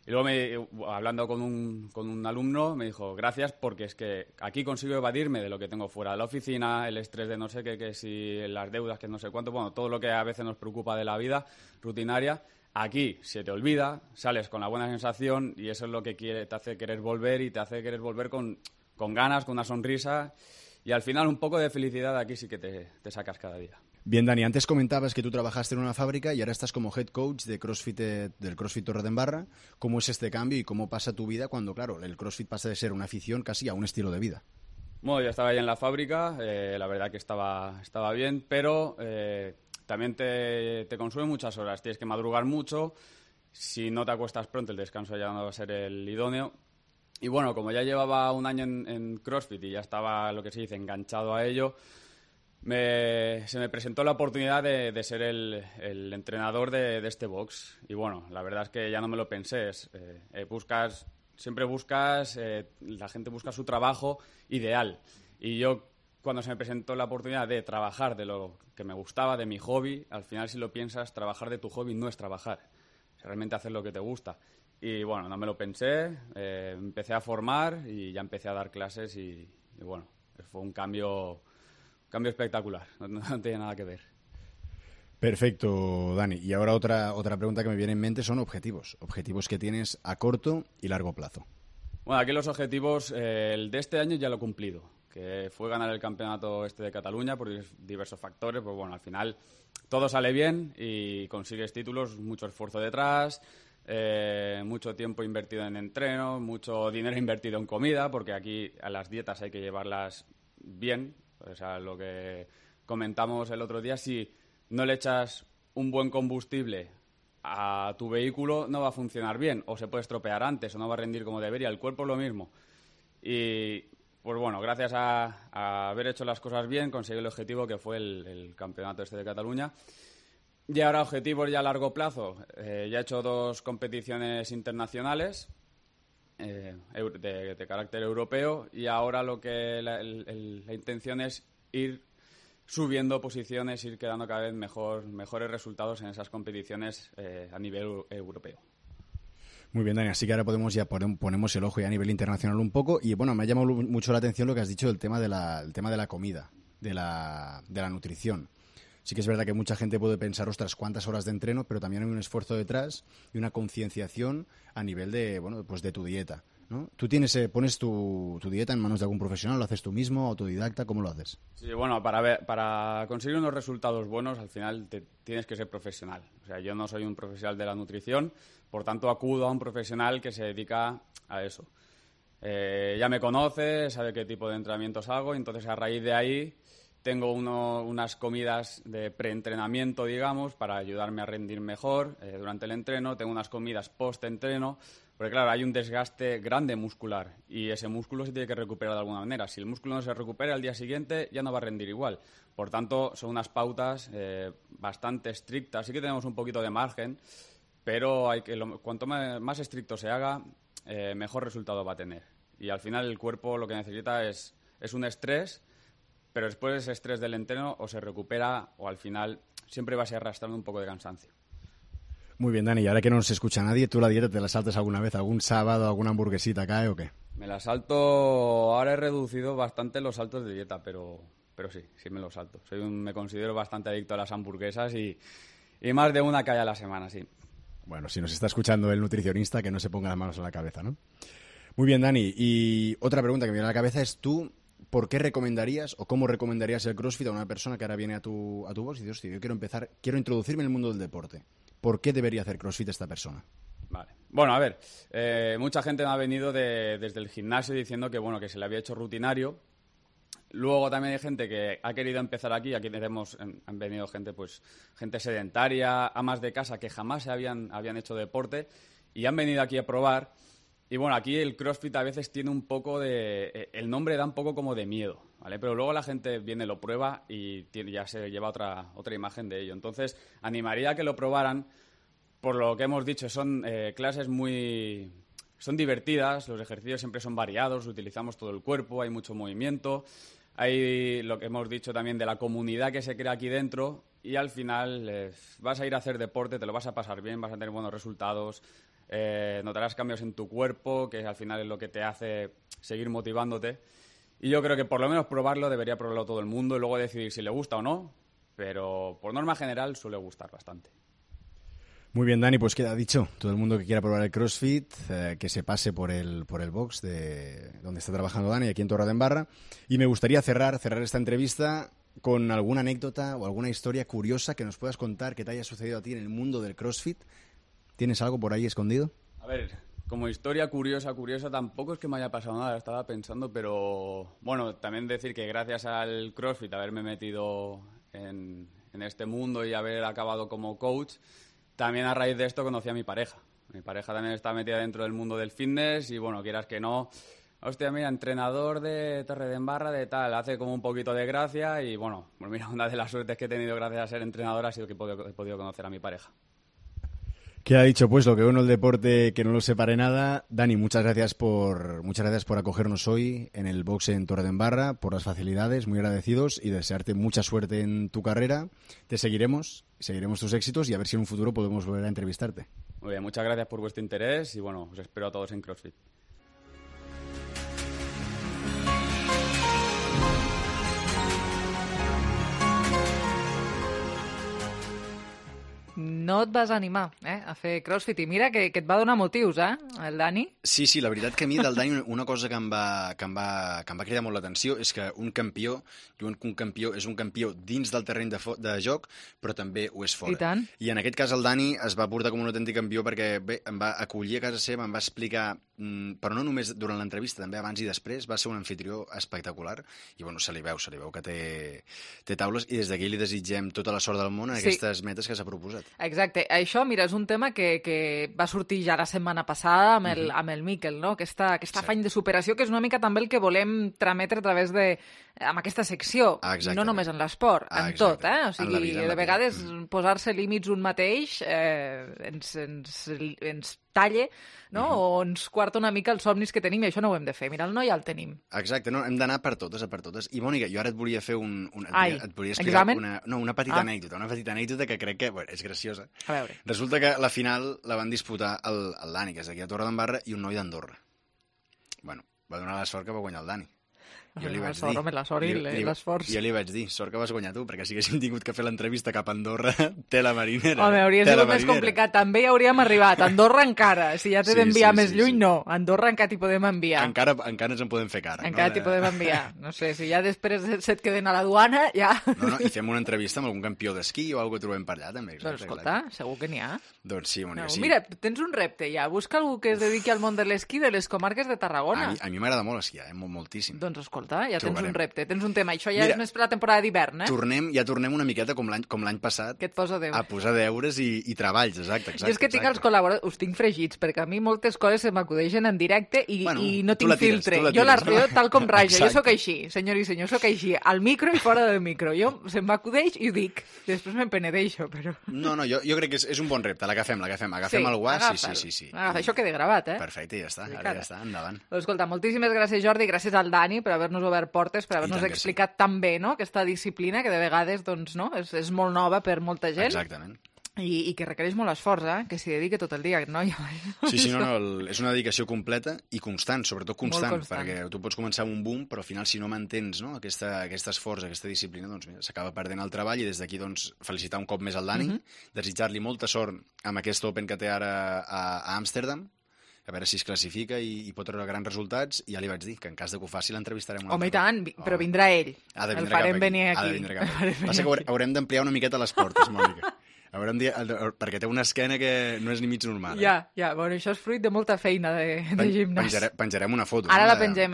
Y luego, hablando con un alumno, me dijo, gracias porque es que aquí consigo evadirme de lo que tengo fuera de la oficina, el estrés de no sé qué, que si las deudas, que no sé cuánto, todo lo que a veces nos preocupa de la vida rutinaria. Aquí se te olvida, sales con la buena sensación y eso es lo que te hace querer volver y te hace querer volver con ganas, con una sonrisa y al final un poco de felicidad aquí sí que te sacas cada día. Bien, Dani, antes comentabas que tú trabajaste en una fábrica y ahora estás como head coach de CrossFit, del CrossFit Torredembarra. ¿Cómo es este cambio y cómo pasa tu vida cuando, claro, el CrossFit pasa de ser una afición casi a un estilo de vida? Bueno, yo estaba ahí en la fábrica, la verdad que estaba bien, pero también te consume muchas horas. Tienes que madrugar mucho, si no te acuestas pronto el descanso ya no va a ser el idóneo. Y bueno, como ya llevaba un año en CrossFit y ya estaba, lo que se dice, enganchado a ello, se me presentó la oportunidad de ser el entrenador de este box. Y bueno, la verdad es que ya no me lo pensé. Siempre buscas, la gente busca su trabajo ideal. Y yo, cuando se me presentó la oportunidad de trabajar de lo que me gustaba, de mi hobby, al final si lo piensas, trabajar de tu hobby no es trabajar. Es realmente hacer lo que te gusta. Y bueno, no me lo pensé, empecé a formar y ya empecé a dar clases y bueno, fue un cambio espectacular, no tiene nada que ver. Perfecto, Dani. Y ahora otra pregunta que me viene en mente son objetivos que tienes a corto y largo plazo. Bueno, aquí los objetivos, el de este año ya lo he cumplido, que fue ganar el campeonato de Cataluña por diversos factores. Pues bueno, al final todo sale bien y consigues títulos, mucho esfuerzo detrás, mucho tiempo invertido en entreno, mucho dinero invertido en comida, porque aquí a las dietas hay que llevarlas bien. O sea, lo que comentamos el otro día, si no le echas un buen combustible a tu vehículo, no va a funcionar bien, o se puede estropear antes, o no va a rendir como debería. El cuerpo es lo mismo. Y, pues bueno, gracias a haber hecho las cosas bien, conseguí el objetivo que fue el campeonato de Cataluña. Y ahora objetivos ya a largo plazo. Ya he hecho 2 competiciones internacionales de carácter europeo y ahora lo que la intención es ir subiendo posiciones, ir quedando cada vez mejores resultados en esas competiciones a nivel europeo. Muy bien, Dani, así que ahora ponemos el ojo ya a nivel internacional un poco y bueno, me ha llamado mucho la atención lo que has dicho del tema de la comida, de la nutrición. Sí que es verdad que mucha gente puede pensar, ostras, cuántas horas de entreno, pero también hay un esfuerzo detrás y una concienciación a nivel de, pues de tu dieta, ¿no? ¿Tú pones tu dieta en manos de algún profesional, lo haces tú mismo, autodidacta, cómo lo haces? Sí, bueno, para conseguir unos resultados buenos, al final tienes que ser profesional. O sea, yo no soy un profesional de la nutrición, por tanto acudo a un profesional que se dedica a eso. Ya me conoce, sabe qué tipo de entrenamientos hago, entonces a raíz de ahí tengo unas comidas de preentrenamiento, digamos, para ayudarme a rendir mejor durante el entreno. Tengo unas comidas post-entreno, porque claro, hay un desgaste grande muscular y ese músculo se tiene que recuperar de alguna manera. Si el músculo no se recupera al día siguiente, ya no va a rendir igual. Por tanto, son unas pautas bastante estrictas. Sí que tenemos un poquito de margen, pero cuanto más estricto se haga, mejor resultado va a tener. Y al final el cuerpo lo que necesita es un estrés, pero después de ese estrés del entreno o se recupera o al final siempre vas arrastrando un poco de cansancio. Muy bien, Dani, y ahora que no nos escucha nadie, ¿tú la dieta te la saltas alguna vez? ¿Algún sábado, alguna hamburguesita cae o qué? Me la salto, ahora he reducido bastante los saltos de dieta, pero sí me los salto. Me considero bastante adicto a las hamburguesas y Y más de una cae a la semana, sí. Bueno, si nos está escuchando el nutricionista, que no se ponga las manos en la cabeza, ¿no? Muy bien, Dani. Y otra pregunta que me viene a la cabeza es tú, ¿por qué recomendarías o cómo recomendarías el CrossFit a una persona que ahora viene a tu box y dice, hostia, yo quiero introducirme en el mundo del deporte? ¿Por qué debería hacer CrossFit esta persona? Vale. Bueno, a ver, mucha gente me ha venido desde el gimnasio diciendo que, bueno, que se le había hecho rutinario. Luego también hay gente que ha querido empezar aquí han venido gente sedentaria, amas de casa que jamás habían hecho deporte y han venido aquí a probar. Y bueno, aquí el CrossFit a veces tiene un poco el nombre da un poco como de miedo, ¿vale? Pero luego la gente viene, lo prueba y ya se lleva otra imagen de ello. Entonces, animaría a que lo probaran. Por lo que hemos dicho, son clases son divertidas, los ejercicios siempre son variados, utilizamos todo el cuerpo, hay mucho movimiento. Hay lo que hemos dicho también de la comunidad que se crea aquí dentro y al final vas a ir a hacer deporte, te lo vas a pasar bien, vas a tener buenos resultados, notarás cambios en tu cuerpo, que al final es lo que te hace seguir motivándote. Y yo creo que por lo menos debería probarlo todo el mundo y luego decidir si le gusta o no, pero por norma general suele gustar bastante. Muy bien, Dani, pues queda dicho. Todo el mundo que quiera probar el CrossFit, que se pase por el box de donde está trabajando Dani, aquí en Torredembarra. Y me gustaría cerrar esta entrevista con alguna anécdota o alguna historia curiosa que nos puedas contar que te haya sucedido a ti en el mundo del CrossFit. ¿Tienes algo por ahí escondido? A ver, como historia curiosa, tampoco es que me haya pasado nada, estaba pensando, pero bueno, también decir que gracias al CrossFit, haberme metido en este mundo y haber acabado como coach, también a raíz de esto conocí a mi pareja. Mi pareja también está metida dentro del mundo del fitness y, bueno, quieras que no, hostia, mira, entrenador de Torredembarra de tal, hace como un poquito de gracia y, bueno, pues mira, una de las suertes que he tenido gracias a ser entrenador ha sido que he podido conocer a mi pareja. Queda dicho, pues, lo que bueno el deporte, que no lo separe nada. Dani, muchas gracias por acogernos hoy en el box en Torredembarra, por las facilidades, muy agradecidos y desearte mucha suerte en tu carrera. Te seguiremos tus éxitos y a ver si en un futuro podemos volver a entrevistarte. Muy bien, muchas gracias por vuestro interés y bueno, os espero a todos en CrossFit. No et vas animar a fer CrossFit. I mira que et va donar motius, el Dani. Sí, la veritat que a mi del Dani una cosa que em va cridar molt l'atenció és que un campió és un campió dins del terreny de joc, però també ho és fora. I tant. I en aquest cas el Dani es va portar com un autèntic campió perquè bé, em va acollir a casa seva, em va explicar, però no només durant l'entrevista, també abans i després, va ser un anfitrió espectacular i bueno, se li veu que té taules i des d'aquí li desitgem tota la sort del món en aquestes metes que s'ha proposat. Exacte. Això, mira, és un tema que va sortir ja la setmana passada amb el Miquel, no? Aquesta afany de superació, que és una mica també el que volem trametre a través amb aquesta secció. No només en l'esport, en tot, O sigui, de vegades posar-se límits un mateix ens talla, no? O ens quarta una mica els somnis que tenim i això no ho hem de fer. Mira, el no ja el tenim. Exacte, no, hem d'anar per totes. I, Mònica, jo ara et volia fer et volia explicar examen? una petita anècdota que crec que és graciosa. A veure. Resulta que la final la van disputar el Dani, que és d'aquí a Torredembarra, i un noi d'Andorra. Bueno, va donar la sort que va guanyar el Dani. Jo li vaig dir... La sort i l'esforç. Jo li vaig dir, sort que vas guanyar tu, perquè si haguéssim tingut que fer l'entrevista cap a Andorra, tela marinera. Home, hauria sigut més complicat. També hi hauríem arribat. Andorra encara. Si ja t'he d'enviar més lluny, no. Andorra encara t'hi podem enviar. Encara ens en podem fer cara. Encara t'hi podem enviar. No sé, si ja després se't queden a la duana, ja... No, i fem una entrevista amb algun campió d'esquí o alguna que trobem per allà, també. Doncs escolta, segur que n'hi ha. Doncs sí, Mònica, sí. Mira, tens un repte ja. Busca algú que es dediqui al món de l'esquí de les comarques de Tarragona. A mi m'agrada molt esquiar, moltíssim. Doncs escolta, ja tens un repte, tens un tema. Això ja és més per la temporada d'hivern, tornem una miqueta com l'any passat que et posa deures. A posar deures i treballs, exacte. Jo és que tinc els col·laboradors, us tinc fregits, perquè a mi moltes coses se m'acudeixen en directe i no tinc filtre. Jo la tiro tal com raja, jo sóc així, senyor i senyor, sóc així, al micro i fora del micro. Jo se'm m'acudeix i ho dic, després me'n penedeixo, però... No, jo crec que és un bon repte, l'agafem el guà, sí. Això queda gravat, Perfecte, ja està, ara ja està, endavant. Escolta, moltíssimes gràcies, Jordi, gràcies al Dani per haver-nos obert portes, per haver-nos explicat tan bé, no?, aquesta disciplina que de vegades, doncs, no, és molt nova per molta gent. Exactament. I que requereix molt esforç, que s'hi dediqui tot el dia, aquest noi. Sí, és una dedicació completa i constant, sobretot constant, perquè tu pots començar amb un boom, però al final si no mantens aquest esforç, aquesta disciplina, doncs mira, s'acaba perdent el treball, i des d'aquí doncs, felicitar un cop més el Dani, desitjar-li molta sort amb aquest Open que té ara a Amsterdam, a veure si es classifica i pot treure grans resultats, i ja li vaig dir que en cas de que ho faci l'entrevistarem un altre. Home, i tant, però vindrà ell. El farem venir aquí. Passa que haurem d'ampliar una miqueta les portes, Mònica. Perquè té una esquena que no és ni mig normal. Ja, bueno, això és fruit de molta feina de gimnàs. Penjarem una foto. Ara la pengem,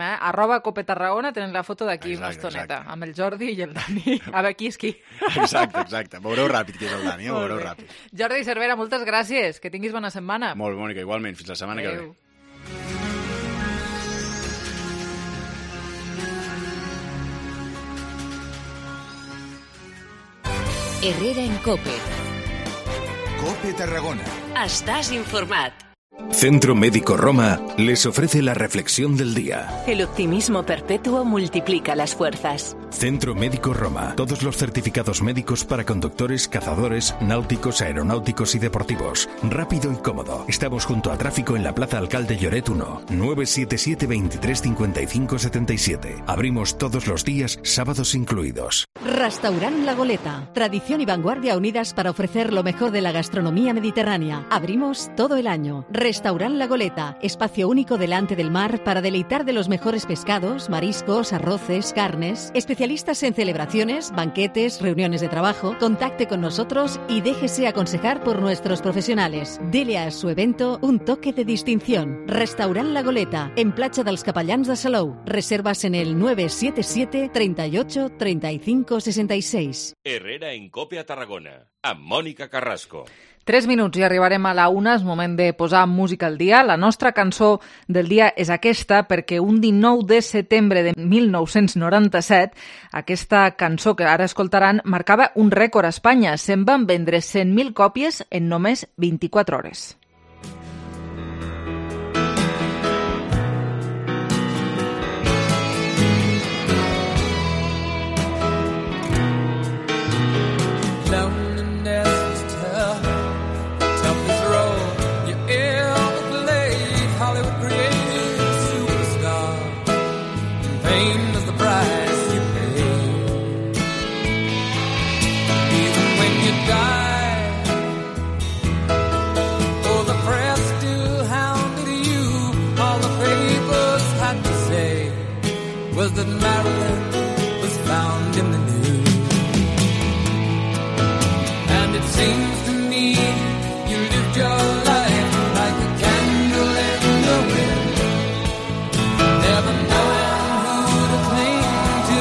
@Cope Tarragona, tenen la foto d'aquí una estoneta, amb el Jordi i el Dani. A veure qui és qui. Exacte. Veureu ràpid qui és el Dani, veureu ràpid. Jordi Cervera, moltes gràcies. Que tinguis bona setmana. Molt, Mònica, igualment. Fins la setmana que ve. Herrera en Cope. Cope Tarragona. Estás informat. Centro Médico Roma les ofrece la reflexión del día. El optimismo perpetuo multiplica las fuerzas. Centro Médico Roma. Todos los certificados médicos para conductores, cazadores, náuticos, aeronáuticos y deportivos. Rápido y cómodo. Estamos junto a tráfico en la Plaza Alcalde Lloret 1, 977 23 55 77. Abrimos todos los días, sábados incluidos. Restaurant La Goleta. Tradición y vanguardia unidas para ofrecer lo mejor de la gastronomía mediterránea. Abrimos todo el año. Restaurant La Goleta. Espacio único delante del mar para deleitar de los mejores pescados, mariscos, arroces, carnes. Especialistas en celebraciones, banquetes, reuniones de trabajo. Contacte con nosotros y déjese aconsejar por nuestros profesionales. Dele a su evento un toque de distinción. Restaurant La Goleta, en Platja dels Capellans de Salou. Reservas en el 977 38 35 66. Herrera en Cope a Tarragona, amb Mònica Carrasco. 3 minuts i arribarem a la 1. És moment de posar música al dia. La nostra cançó del dia és aquesta perquè un 19 de setembre de 1997 aquesta cançó que ara escoltaran marcava un rècord a Espanya. Se'n van vendre 100.000 còpies en només 24 hores. Was that Marilyn was found in the news. And it seems to me you lived your life like a candle in the wind, never knowing who to cling to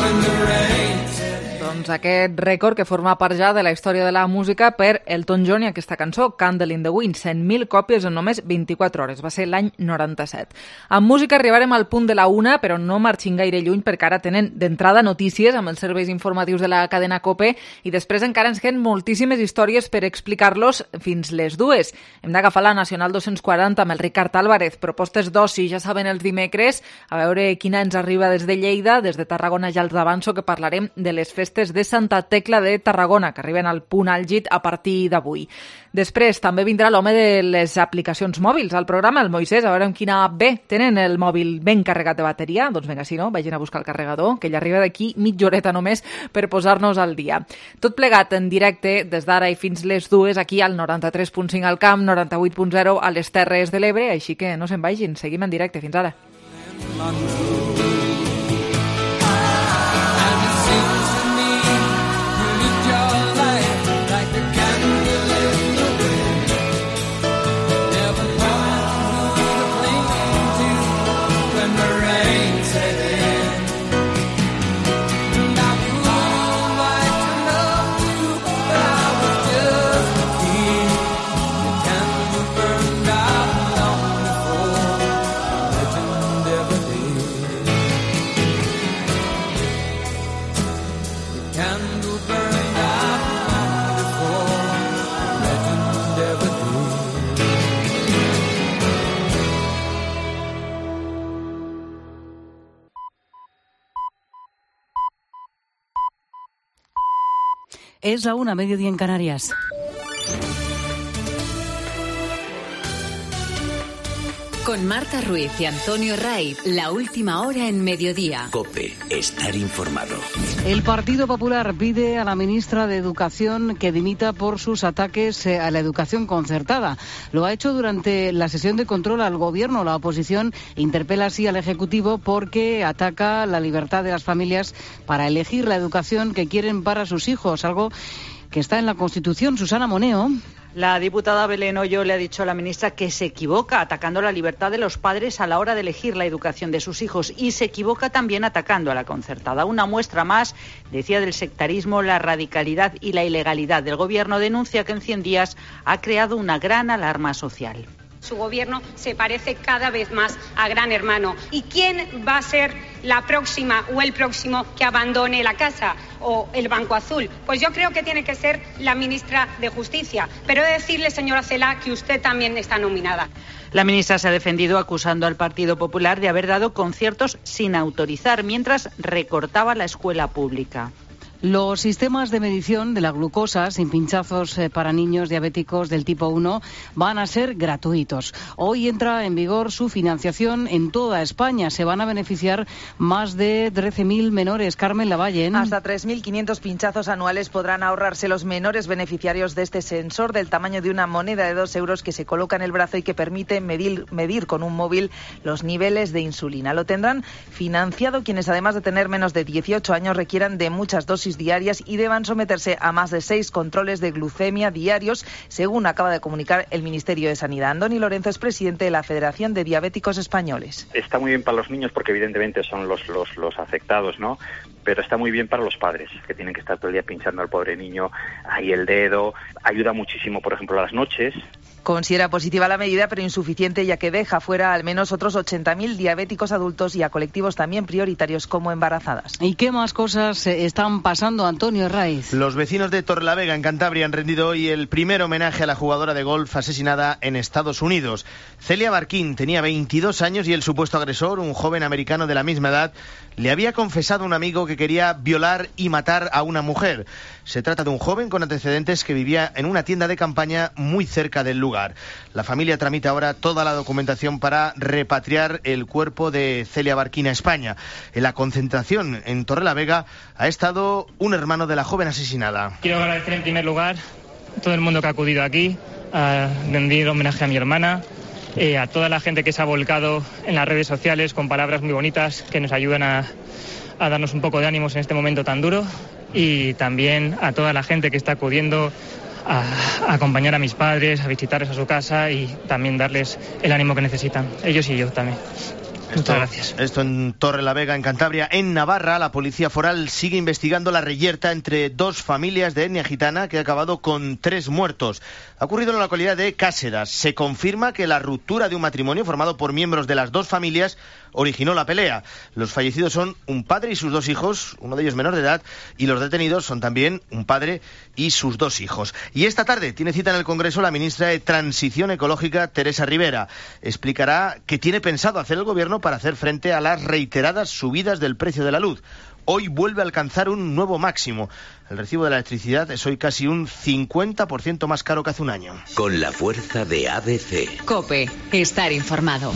when the rain set. Doncs aquest rècord que forma part ja de la història de la música per Elton John i aquesta cançó, Candle in the Wind, 100.000 còpies en només 24 hores. Va ser l'any 97. Amb música arribarem al punt de la 1, però no marxin gaire lluny perquè ara tenen d'entrada notícies amb els serveis informatius de la cadena COPE i després encara ens queden moltíssimes històries per explicar-los fins les 2. Hem d'agafar la Nacional 240 amb el Ricard Álvarez. Propostes d'oci, ja saben, els dimecres. A veure quina ens arriba des de Lleida, des de Tarragona ja els avanço que parlarem de les festes de Santa Tecla de Tarragona, que arriben al punt àlgid a partir d'avui. Després també vindrà l'home de les aplicacions mòbils al programa, el Moisès, a veure amb quina app bé tenen el mòbil ben carregat de bateria. Doncs vinga, si no, vagin a buscar el carregador, que ell arriba d'aquí mitja horeta només per posar-nos al dia. Tot plegat en directe des d'ara i fins les 2 aquí al 93.5 al Camp, 98.0 a les Terres de l'Ebre, així que no se'n vagin, seguim en directe. Fins ara. Es la 1:00, mediodía en Canarias. Con Marta Ruiz y Antonio Ray, la última hora en mediodía. COPE, estar informado. El Partido Popular pide a la ministra de Educación que dimita por sus ataques a la educación concertada. Lo ha hecho durante la sesión de control al Gobierno. La oposición interpela así al Ejecutivo porque ataca la libertad de las familias para elegir la educación que quieren para sus hijos, algo que está en la Constitución. Susana Moneo. La diputada Belén Hoyo le ha dicho a la ministra que se equivoca atacando la libertad de los padres a la hora de elegir la educación de sus hijos y se equivoca también atacando a la concertada. Una muestra más, decía, del sectarismo, la radicalidad y la ilegalidad del Gobierno. Denuncia que en 100 días ha creado una gran alarma social. Su gobierno se parece cada vez más a Gran Hermano. ¿Y quién va a ser la próxima o el próximo que abandone la casa o el Banco Azul? Pues yo creo que tiene que ser la ministra de Justicia. Pero he de decirle, señora Celaá, que usted también está nominada. La ministra se ha defendido acusando al Partido Popular de haber dado conciertos sin autorizar, mientras recortaba la escuela pública. Los sistemas de medición de la glucosa sin pinchazos para niños diabéticos del tipo 1 van a ser gratuitos. Hoy entra en vigor su financiación en toda España. Se van a beneficiar más de 13.000 menores. Carmen Lavalle. Hasta 3.500 pinchazos anuales podrán ahorrarse los menores beneficiarios de este sensor del tamaño de una moneda de 2 euros que se coloca en el brazo y que permite medir con un móvil los niveles de insulina. Lo tendrán financiado quienes, además de tener menos de 18 años, requieran de muchas dosis diarias y deban someterse a más de 6 controles de glucemia diarios, según acaba de comunicar el Ministerio de Sanidad. Andoni Lorenzo es presidente de la Federación de Diabéticos Españoles. Está muy bien para los niños porque evidentemente son los afectados, ¿no? Pero está muy bien para los padres, que tienen que estar todo el día pinchando al pobre niño ahí el dedo. Ayuda muchísimo, por ejemplo, a las noches. Considera positiva la medida, pero insuficiente, ya que deja fuera al menos otros 80.000 diabéticos adultos y a colectivos también prioritarios como embarazadas. ¿Y qué más cosas están pasando, Antonio Raiz? Los vecinos de Torrelavega, en Cantabria, han rendido hoy el primer homenaje a la jugadora de golf asesinada en Estados Unidos. Celia Barquín tenía 22 años y el supuesto agresor, un joven americano de la misma edad, le había confesado a un amigo que quería violar y matar a una mujer. Se trata de un joven con antecedentes que vivía en una tienda de campaña muy cerca del lugar. La familia tramita ahora toda la documentación para repatriar el cuerpo de Celia Barquín a España. En la concentración en Torrelavega ha estado un hermano de la joven asesinada. Quiero agradecer en primer lugar a todo el mundo que ha acudido aquí a rendir homenaje a mi hermana, a toda la gente que se ha volcado en las redes sociales con palabras muy bonitas que nos ayudan a darnos un poco de ánimos en este momento tan duro, y también a toda la gente que está acudiendo a acompañar a mis padres, a visitarles a su casa y también darles el ánimo que necesitan, ellos y yo también. Muchas gracias. Esto en Torrelavega, en Cantabria. En Navarra, la policía foral sigue investigando la reyerta entre dos familias de etnia gitana que ha acabado con 3 muertos. Ha ocurrido en la localidad de Cáceres. Se confirma que la ruptura de un matrimonio formado por miembros de las dos familias originó la pelea. Los fallecidos son un padre y sus 2 hijos, uno de ellos menor de edad, y los detenidos son también un padre y sus 2 hijos. Y esta tarde tiene cita en el Congreso la ministra de Transición Ecológica, Teresa Rivera. Explicará qué tiene pensado hacer el Gobierno para hacer frente a las reiteradas subidas del precio de la luz. Hoy vuelve a alcanzar un nuevo máximo. El recibo de la electricidad es hoy casi un 50% más caro que hace un año. Con la fuerza de ABC. COPE, estar informado.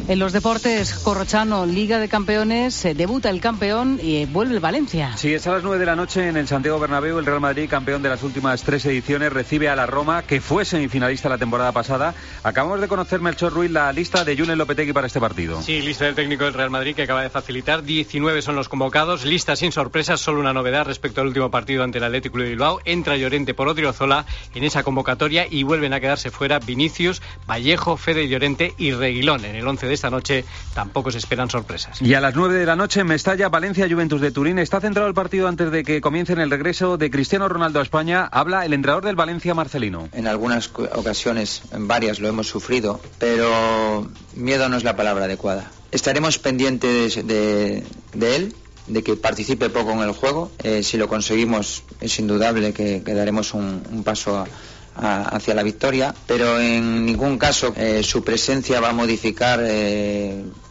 En los deportes, Corrochano, Liga de Campeones, debuta el campeón y vuelve el Valencia. Sí, es a las 9 de la noche en el Santiago Bernabéu. El Real Madrid, campeón de las últimas 3 ediciones, recibe a la Roma, que fue semifinalista la temporada pasada. Acabamos de conocer, Melchor Ruiz, la lista de Julen Lopetegui para este partido. Sí, lista del técnico del Real Madrid que acaba de facilitar. 19 son los convocados, lista sin sorpresas, solo una novedad respecto al último partido ante el Athletic de Bilbao. Entra Llorente por Odriozola en esa convocatoria y vuelven a quedarse fuera Vinicius, Vallejo, Fede Llorente y Reguilón. En el 11 de esta noche tampoco se esperan sorpresas. Y a las 9 de la noche en Mestalla, Valencia, Juventus de Turín. Está centrado el partido antes de que comiencen el regreso de Cristiano Ronaldo a España. Habla el entrenador del Valencia, Marcelino. En algunas ocasiones, en varias lo hemos sufrido, pero miedo no es la palabra adecuada. Estaremos pendientes de él, de que participe poco en el juego. Si lo conseguimos, es indudable que daremos un paso hacia la victoria, pero en ningún caso su presencia va a modificar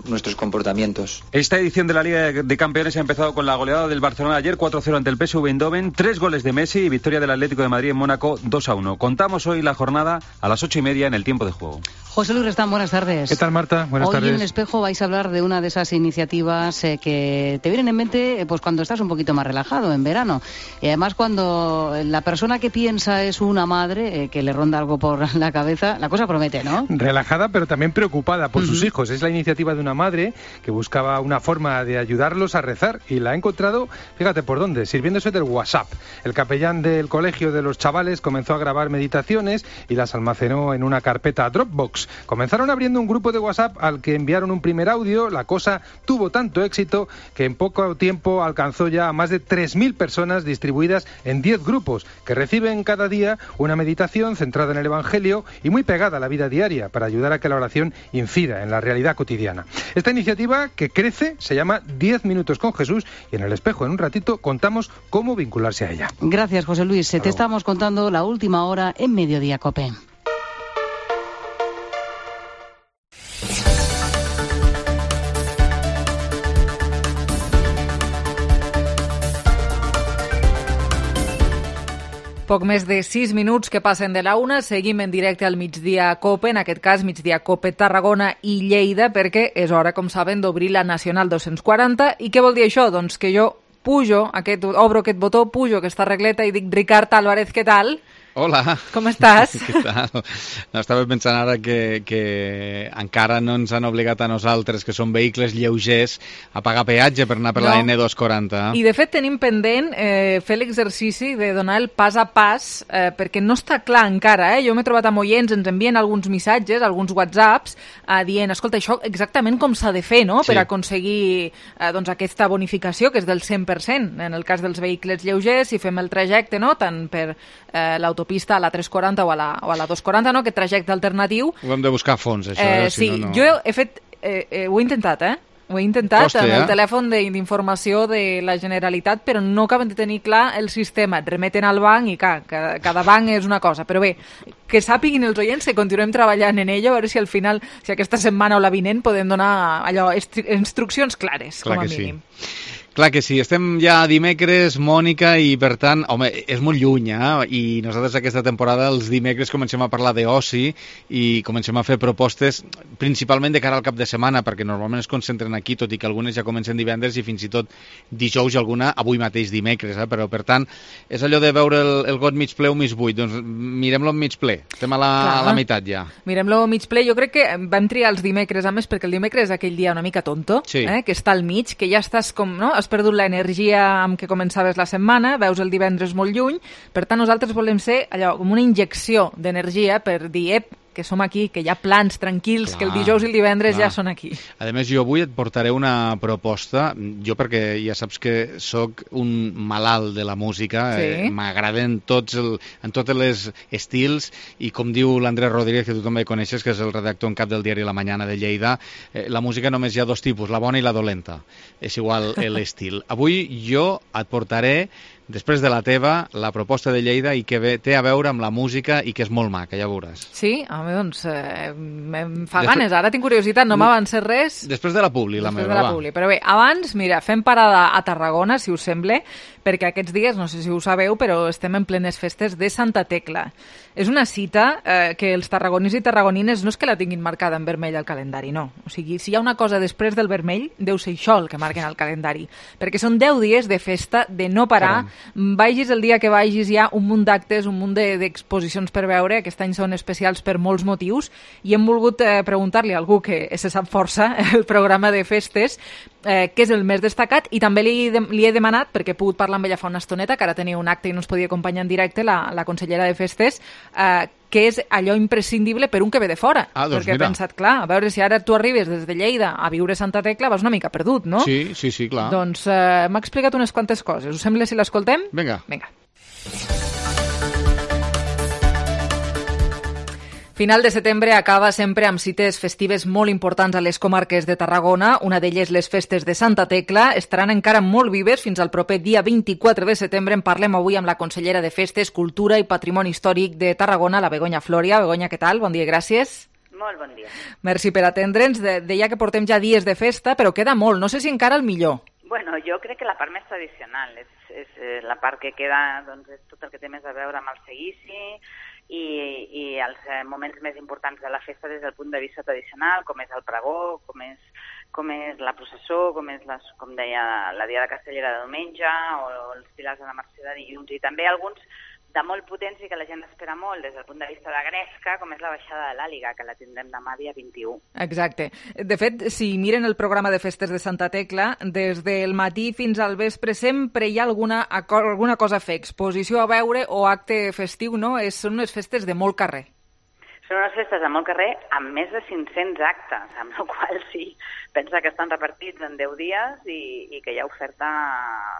nuestros comportamientos. Esta edición de la Liga de Campeones ha empezado con la goleada del Barcelona ayer, 4-0 ante el PSV Eindhoven, 3 goles de Messi y victoria del Atlético de Madrid en Mónaco, 2-1. Contamos hoy la jornada a las 8:30 en el tiempo de juego. José Luis Restán, buenas tardes. ¿Qué tal, Marta? Buenas tardes. Hoy en El Espejo vais a hablar de una de esas iniciativas que te vienen en mente pues cuando estás un poquito más relajado, en verano. Y además cuando la persona que piensa es una madre, que le ronda algo por la cabeza, la cosa promete, ¿no? Relajada, pero también preocupada por sus hijos. Es la iniciativa de una madre que buscaba una forma de ayudarlos a rezar y la ha encontrado, fíjate por dónde, sirviéndose del WhatsApp. El capellán del colegio de los chavales comenzó a grabar meditaciones y las almacenó en una carpeta Dropbox. Comenzaron abriendo un grupo de WhatsApp al que enviaron un primer audio. La cosa tuvo tanto éxito que en poco tiempo alcanzó ya a más de 3.000 personas distribuidas en 10 grupos que reciben cada día una meditación centrada en el Evangelio y muy pegada a la vida diaria para ayudar a que la oración incida en la realidad cotidiana. Esta iniciativa que crece se llama 10 minutos con Jesús y en El Espejo en un ratito contamos cómo vincularse a ella. Gracias, José Luis. Te estamos contando la última hora en Mediodía COPE. Poc més de 6 minuts que passen de la 1, seguim en directe al Migdia COPE, en aquest cas Migdia COPE Tarragona i Lleida, perquè és hora, com saben, d'obrir la Nacional 240. I què vol dir això? Doncs que jo obro aquest botó, pujo aquesta regleta i dic Ricard Álvarez, què tal? Hola. Com estàs? Què tal? No, estava pensant ara que encara no ens han obligat a nosaltres, que són vehicles lleugers, a pagar peatge per anar per la N240. I de fet tenim pendent fer l'exercici de donar el pas a pas, perquè no està clar encara. Jo m'he trobat amb oients, ens envien alguns missatges, alguns whatsapps, dient, escolta, això exactament com s'ha de fer, no?, per aconseguir doncs, aquesta bonificació, que és del 100%, en el cas dels vehicles lleugers, si fem el trajecte, no?, tant per l'autopista a la 340 o a la 240, no?, aquest trajecte alternatiu. Ho hem de buscar a fons, això. Sí, jo he fet... ho he intentat, Ho he intentat amb el telèfon d'informació de la Generalitat, però no acaben de tenir clar el sistema. Et remeten al banc i cada banc és una cosa. Però bé, que sàpiguin els oients que continuem treballant en ello, a veure si al final, si aquesta setmana o la vinent, podem donar allò instruccions clares, com a mínim. Clar que sí, estem ja dimecres, Mònica, i per tant, home, és molt lluny, i nosaltres aquesta temporada els dimecres comencem a parlar d'oci i comencem a fer propostes principalment de cara al cap de setmana, perquè normalment es concentren aquí, tot i que algunes ja comencen divendres i fins i tot dijous i alguna avui mateix dimecres, però per tant és allò de veure el got mig ple o mig buit, doncs mirem-lo en mig ple, estem a la meitat ja. Mirem-lo mig ple, jo crec que vam triar els dimecres, a més, perquè el dimecres és aquell dia una mica tonto, que està al mig, que ja estàs com, no?, has perdut l'energia amb què començaves la setmana, veus el divendres molt lluny, per tant nosaltres volem ser allò com una injecció d'energia per dir, que som aquí, que hi ha plans tranquils, que el dijous i el divendres ja són aquí. A més, jo avui et portaré una proposta, jo perquè ja saps que sóc un malalt de la música, m'agraden en tots els estils, i com diu l'Andrés Rodríguez, que tu també coneixes, que és el redactor en cap del diari La Mañana de Lleida, la música només hi ha dos tipus, la bona i la dolenta. És igual l'estil. Avui jo et portaré, després de la teva, la proposta de Lleida i que té a veure amb la música i que és molt maca, ja veuràs. Sí? Home, doncs em fa ganes, ara tinc curiositat, no m'avances res. Després de la publi, la meva, va. Però bé, abans, mira, fem parada a Tarragona, si us sembla, perquè aquests dies, no sé si ho sabeu, però estem en plenes festes de Santa Tecla. És una cita que els tarragonins i tarragonines no és que la tinguin marcada en vermell al calendari, no. O sigui, si hi ha una cosa després del vermell, deu ser això el que marquen al calendari. Perquè són 10 dies de festa, de no parar. Vagis el dia que vagis, hi ha un munt d'actes, un munt d'exposicions per veure. Aquest any són especials per molts motius i hem volgut preguntar-li a algú que se sap força el programa de festes què és el més destacat, i també li he demanat, perquè he pogut parlar amb ella fa una estoneta, que ara tenia un acte i no ens podia acompanyar en directe, la consellera de festes, que és allò imprescindible per un que ve de fora. Doncs perquè he pensat, clar, a veure si ara tu arribes des de Lleida a viure a Santa Tecla, vas una mica perdut, no? Sí, clar. Doncs m'ha explicat unes quantes coses. Us sembla si l'escoltem? Vinga. Final de setembre acaba sempre amb cites festives molt importants a les comarques de Tarragona. Una d'elles, les festes de Santa Tecla, estaran encara molt vives fins al proper dia 24 de setembre. En parlem avui amb la consellera de Festes, Cultura i Patrimoni Històric de Tarragona, la Begoña Floria. Begoña, què tal? Bon dia i gràcies. Molt bon dia. Merci per atendre'ns. Deia que portem ja dies de festa, però queda molt. No sé si encara el millor. Bueno, jo crec que la part més tradicional és la part que queda, doncs, és tot el que té més a veure amb el seguici i els moments més importants de la festa des del punt de vista tradicional, com és el pregó, com és la processó, com deia, la Dia de Castellera de diumenge o els pilars de la Mercè de dilluns, i també alguns de molt potents i que la gent espera molt des del punt de vista de gresca, com és la baixada de l'Àliga, que la tindrem demà dia 21. Exacte. De fet, si miren el programa de festes de Santa Tecla, des del matí fins al vespre sempre hi ha alguna cosa a fer, exposició a veure o acte festiu, no? Són unes festes de molt carrer. Són unes festes de molt carrer amb més de 500 actes, amb la qual sí, pensa que estan repartits en 10 dies i que hi ha oferta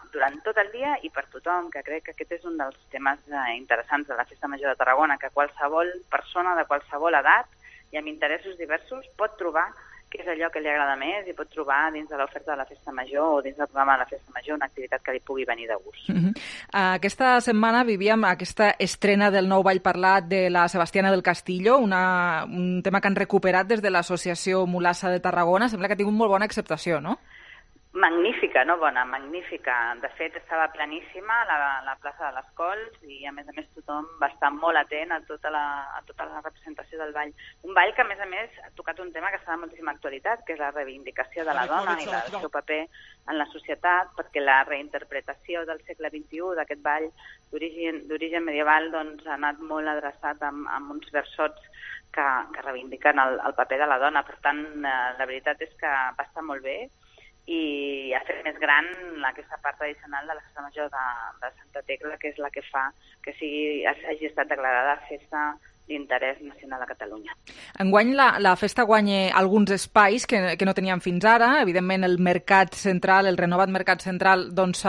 durant tot el dia i per tothom, que crec que aquest és un dels temes interessants de la Festa Major de Tarragona, que qualsevol persona de qualsevol edat i amb interessos diversos pot trobar què és allò que li agrada més i pot trobar dins de l'oferta de la Festa Major o dins del programa de la Festa Major una activitat que li pugui venir de gust. Aquesta setmana vivíem aquesta estrena del nou ball parlat de la Sebastiana del Castillo, un tema que han recuperat des de l'Associació Mulassa de Tarragona. Sembla que ha tingut molt bona acceptació, no? Magnífica, no bona, magnífica. De fet, estava planíssima la plaça de les Cols i, a més tothom va estar molt atent a tota la representació del ball. Un ball que, a més, ha tocat un tema que està de moltíssima actualitat, que és la reivindicació de la dona i el seu paper en la societat, perquè la reinterpretació del segle XXI d'aquest ball d'origen medieval doncs, ha anat molt adreçat amb uns versots que reivindiquen el paper de la dona. Per tant, la veritat és que va estar molt bé i ha fet més gran aquesta part tradicional de la Festa Major de Santa Tecla, que és la que fa que hagi estat declarada festa d'interès nacional a Catalunya. Enguany la festa guanya alguns espais que no teníem fins ara. Evidentment el mercat central, el renovat mercat central, doncs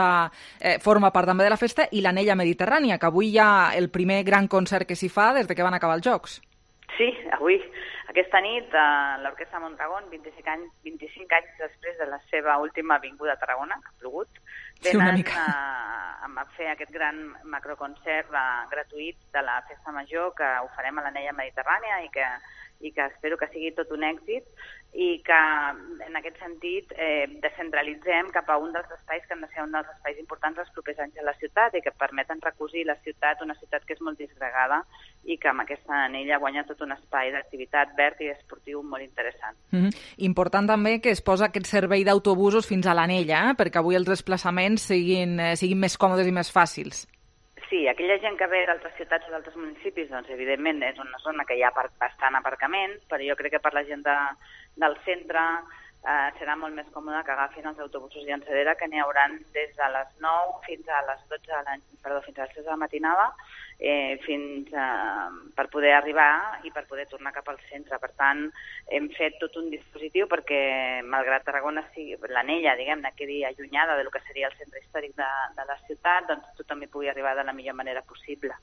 forma part també de la festa, i l'Anella Mediterrània, que avui hi ha el primer gran concert que s'hi fa des que van acabar els Jocs. Sí, avui, aquesta nit, l'Orquestra Mondragón, 25 anys després de la seva última vinguda a Tarragona, que ha plogut, venen a fer aquest gran macroconcert gratuït de la Festa Major que ho farem a l'Anella Mediterrània i que espero que sigui tot un èxit i que, en aquest sentit, descentralitzem cap a un dels espais que han de ser un dels espais importants els propers anys a la ciutat i que permeten recosir la ciutat, una ciutat que és molt disgregada i que amb aquesta anella guanya tot un espai d'activitat verd i esportiu molt interessant. Important també que es posa aquest servei d'autobusos fins a l'anella, perquè avui els desplaçaments siguin més còmodes i més fàcils. Sí, aquella gent que ve d'altres ciutats o d'altres municipis, doncs evidentment és una zona que hi ha bastant aparcament, però jo crec que per la gent del centre serà molt més còmode que agafin els autobusos llançadera, que n'hi hauran des de les 9 fins a les 6 de la matinada, per poder arribar i per poder tornar cap al centre. Per tant, hem fet tot un dispositiu perquè, malgrat Tarragona sigui l'anella, diguem-ne, quedi allunyada del que seria el centre històric de la ciutat, doncs tothom hi pugui arribar de la millor manera possible.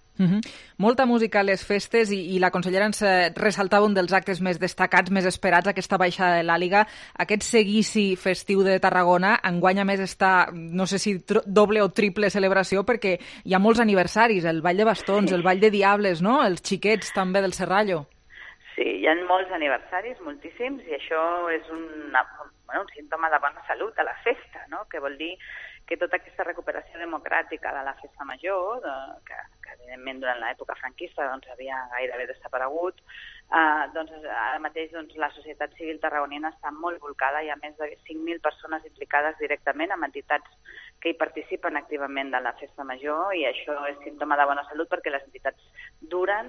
Molta música a les festes i la consellera ens ressaltava un dels actes més destacats, més esperats, aquesta baixada de l'Àliga, aquest seguici festiu de Tarragona. Enguany, a més, està, no sé si doble o triple celebració, perquè hi ha molts aniversaris, el Ball de Bastons, el Ball de Diables, no? Els xiquets també del Serrallo. Sí, hi ha molts aniversaris, moltíssims, i això és un símptoma de bona salut a la festa, no? Que vol dir que tota aquesta recuperació democràtica de la Festa Major, que evidentment durant l'època franquista doncs, havia gairebé desaparegut, doncs ara mateix la societat civil tarragonina està molt volcada, hi ha més de 5.000 persones implicades directament amb entitats que hi participen activament de la Festa Major, i això és símptoma de bona salut perquè les entitats duren,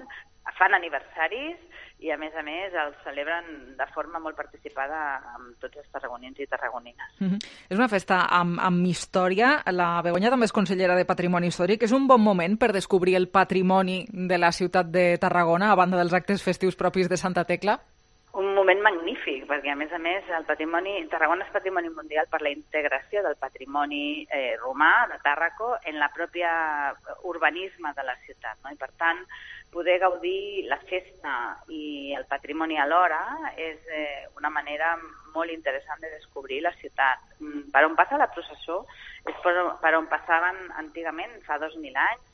fan aniversaris i, a més, els celebren de forma molt participada amb tots els tarragonins i tarragonines. És una festa amb història. La Begoña també és consellera de Patrimoni Històric. És un bon moment per descobrir el patrimoni de la ciutat de Tarragona, a banda dels actes festius propis de Santa Tecla? Un moment magnífic, perquè, a més, Tarragona és patrimoni mundial per la integració del patrimoni romà de Tàrraco en la pròpia urbanisme de la ciutat, no? I, per tant, poder gaudir la festa i el patrimoni alhora és una manera molt interessant de descobrir la ciutat. Per on passa la processó és per on passaven antigament, fa 2.000 anys,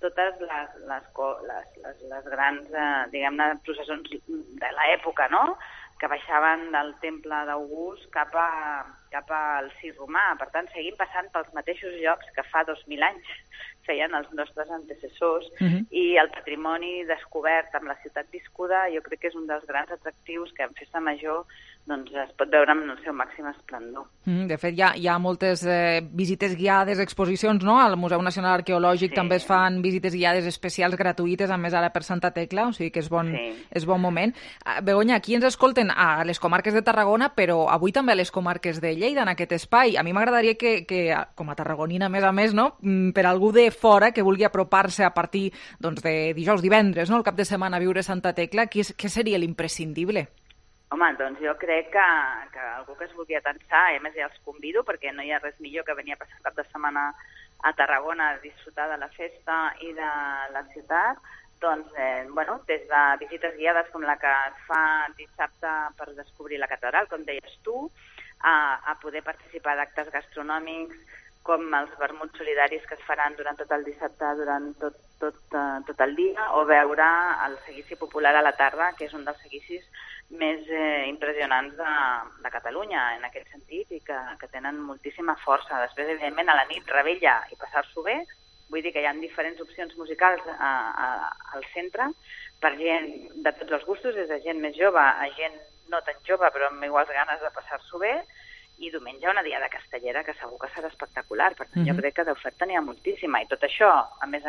totes les grans, diguem-ne, processons de l'època, no?, que baixaven del temple d'August cap al circ romà. Per tant, seguim passant pels mateixos llocs que fa 2.000 anys feien els nostres antecessors, i el patrimoni descobert amb la ciutat viscuda jo crec que és un dels grans atractius que en Festa Major doncs, es pot veure en el seu màxim esplendor. De fet, hi ha moltes visites guiades, exposicions, no? Al Museu Nacional Arqueològic també es fan visites guiades especials gratuïtes, a més ara per Santa Tecla, o sigui que és bon moment. Begoña, aquí ens escolten a les comarques de Tarragona, però avui també a les comarques de Lleida, en aquest espai. A mi m'agradaria que com a tarragonina, a més, no?, per algú de fora que vulgui apropar-se a partir doncs, de dijous, divendres, no?, el cap de setmana a viure Santa Tecla, què seria l'imprescindible? Home, doncs jo crec que algú que es vulgui atensar, a més ja els convido, perquè no hi ha res millor que venir a passar cap de setmana a Tarragona a disfrutar de la festa i de la ciutat, doncs, des de visites guiades com la que es fa dissabte per descobrir la catedral, com deies tu, a poder participar d'actes gastronòmics, com els vermuts solidaris que es faran durant tot el dissabte, durant tot el dia, o veure el seguici popular a la tarda, que és un dels seguicis més impressionants de Catalunya, en aquest sentit, i que tenen moltíssima força. Després, evidentment, a la nit, revetlla i passar-s'ho bé. Vull dir que hi ha diferents opcions musicals al centre per gent de tots els gustos, des de gent més jove a gent no tan jove, però amb iguals ganes de passar-s'ho bé. I diumenge una diada castellera que segur que serà espectacular. Per tant, jo crec que d'oferta n'hi ha moltíssima. I tot això, a més,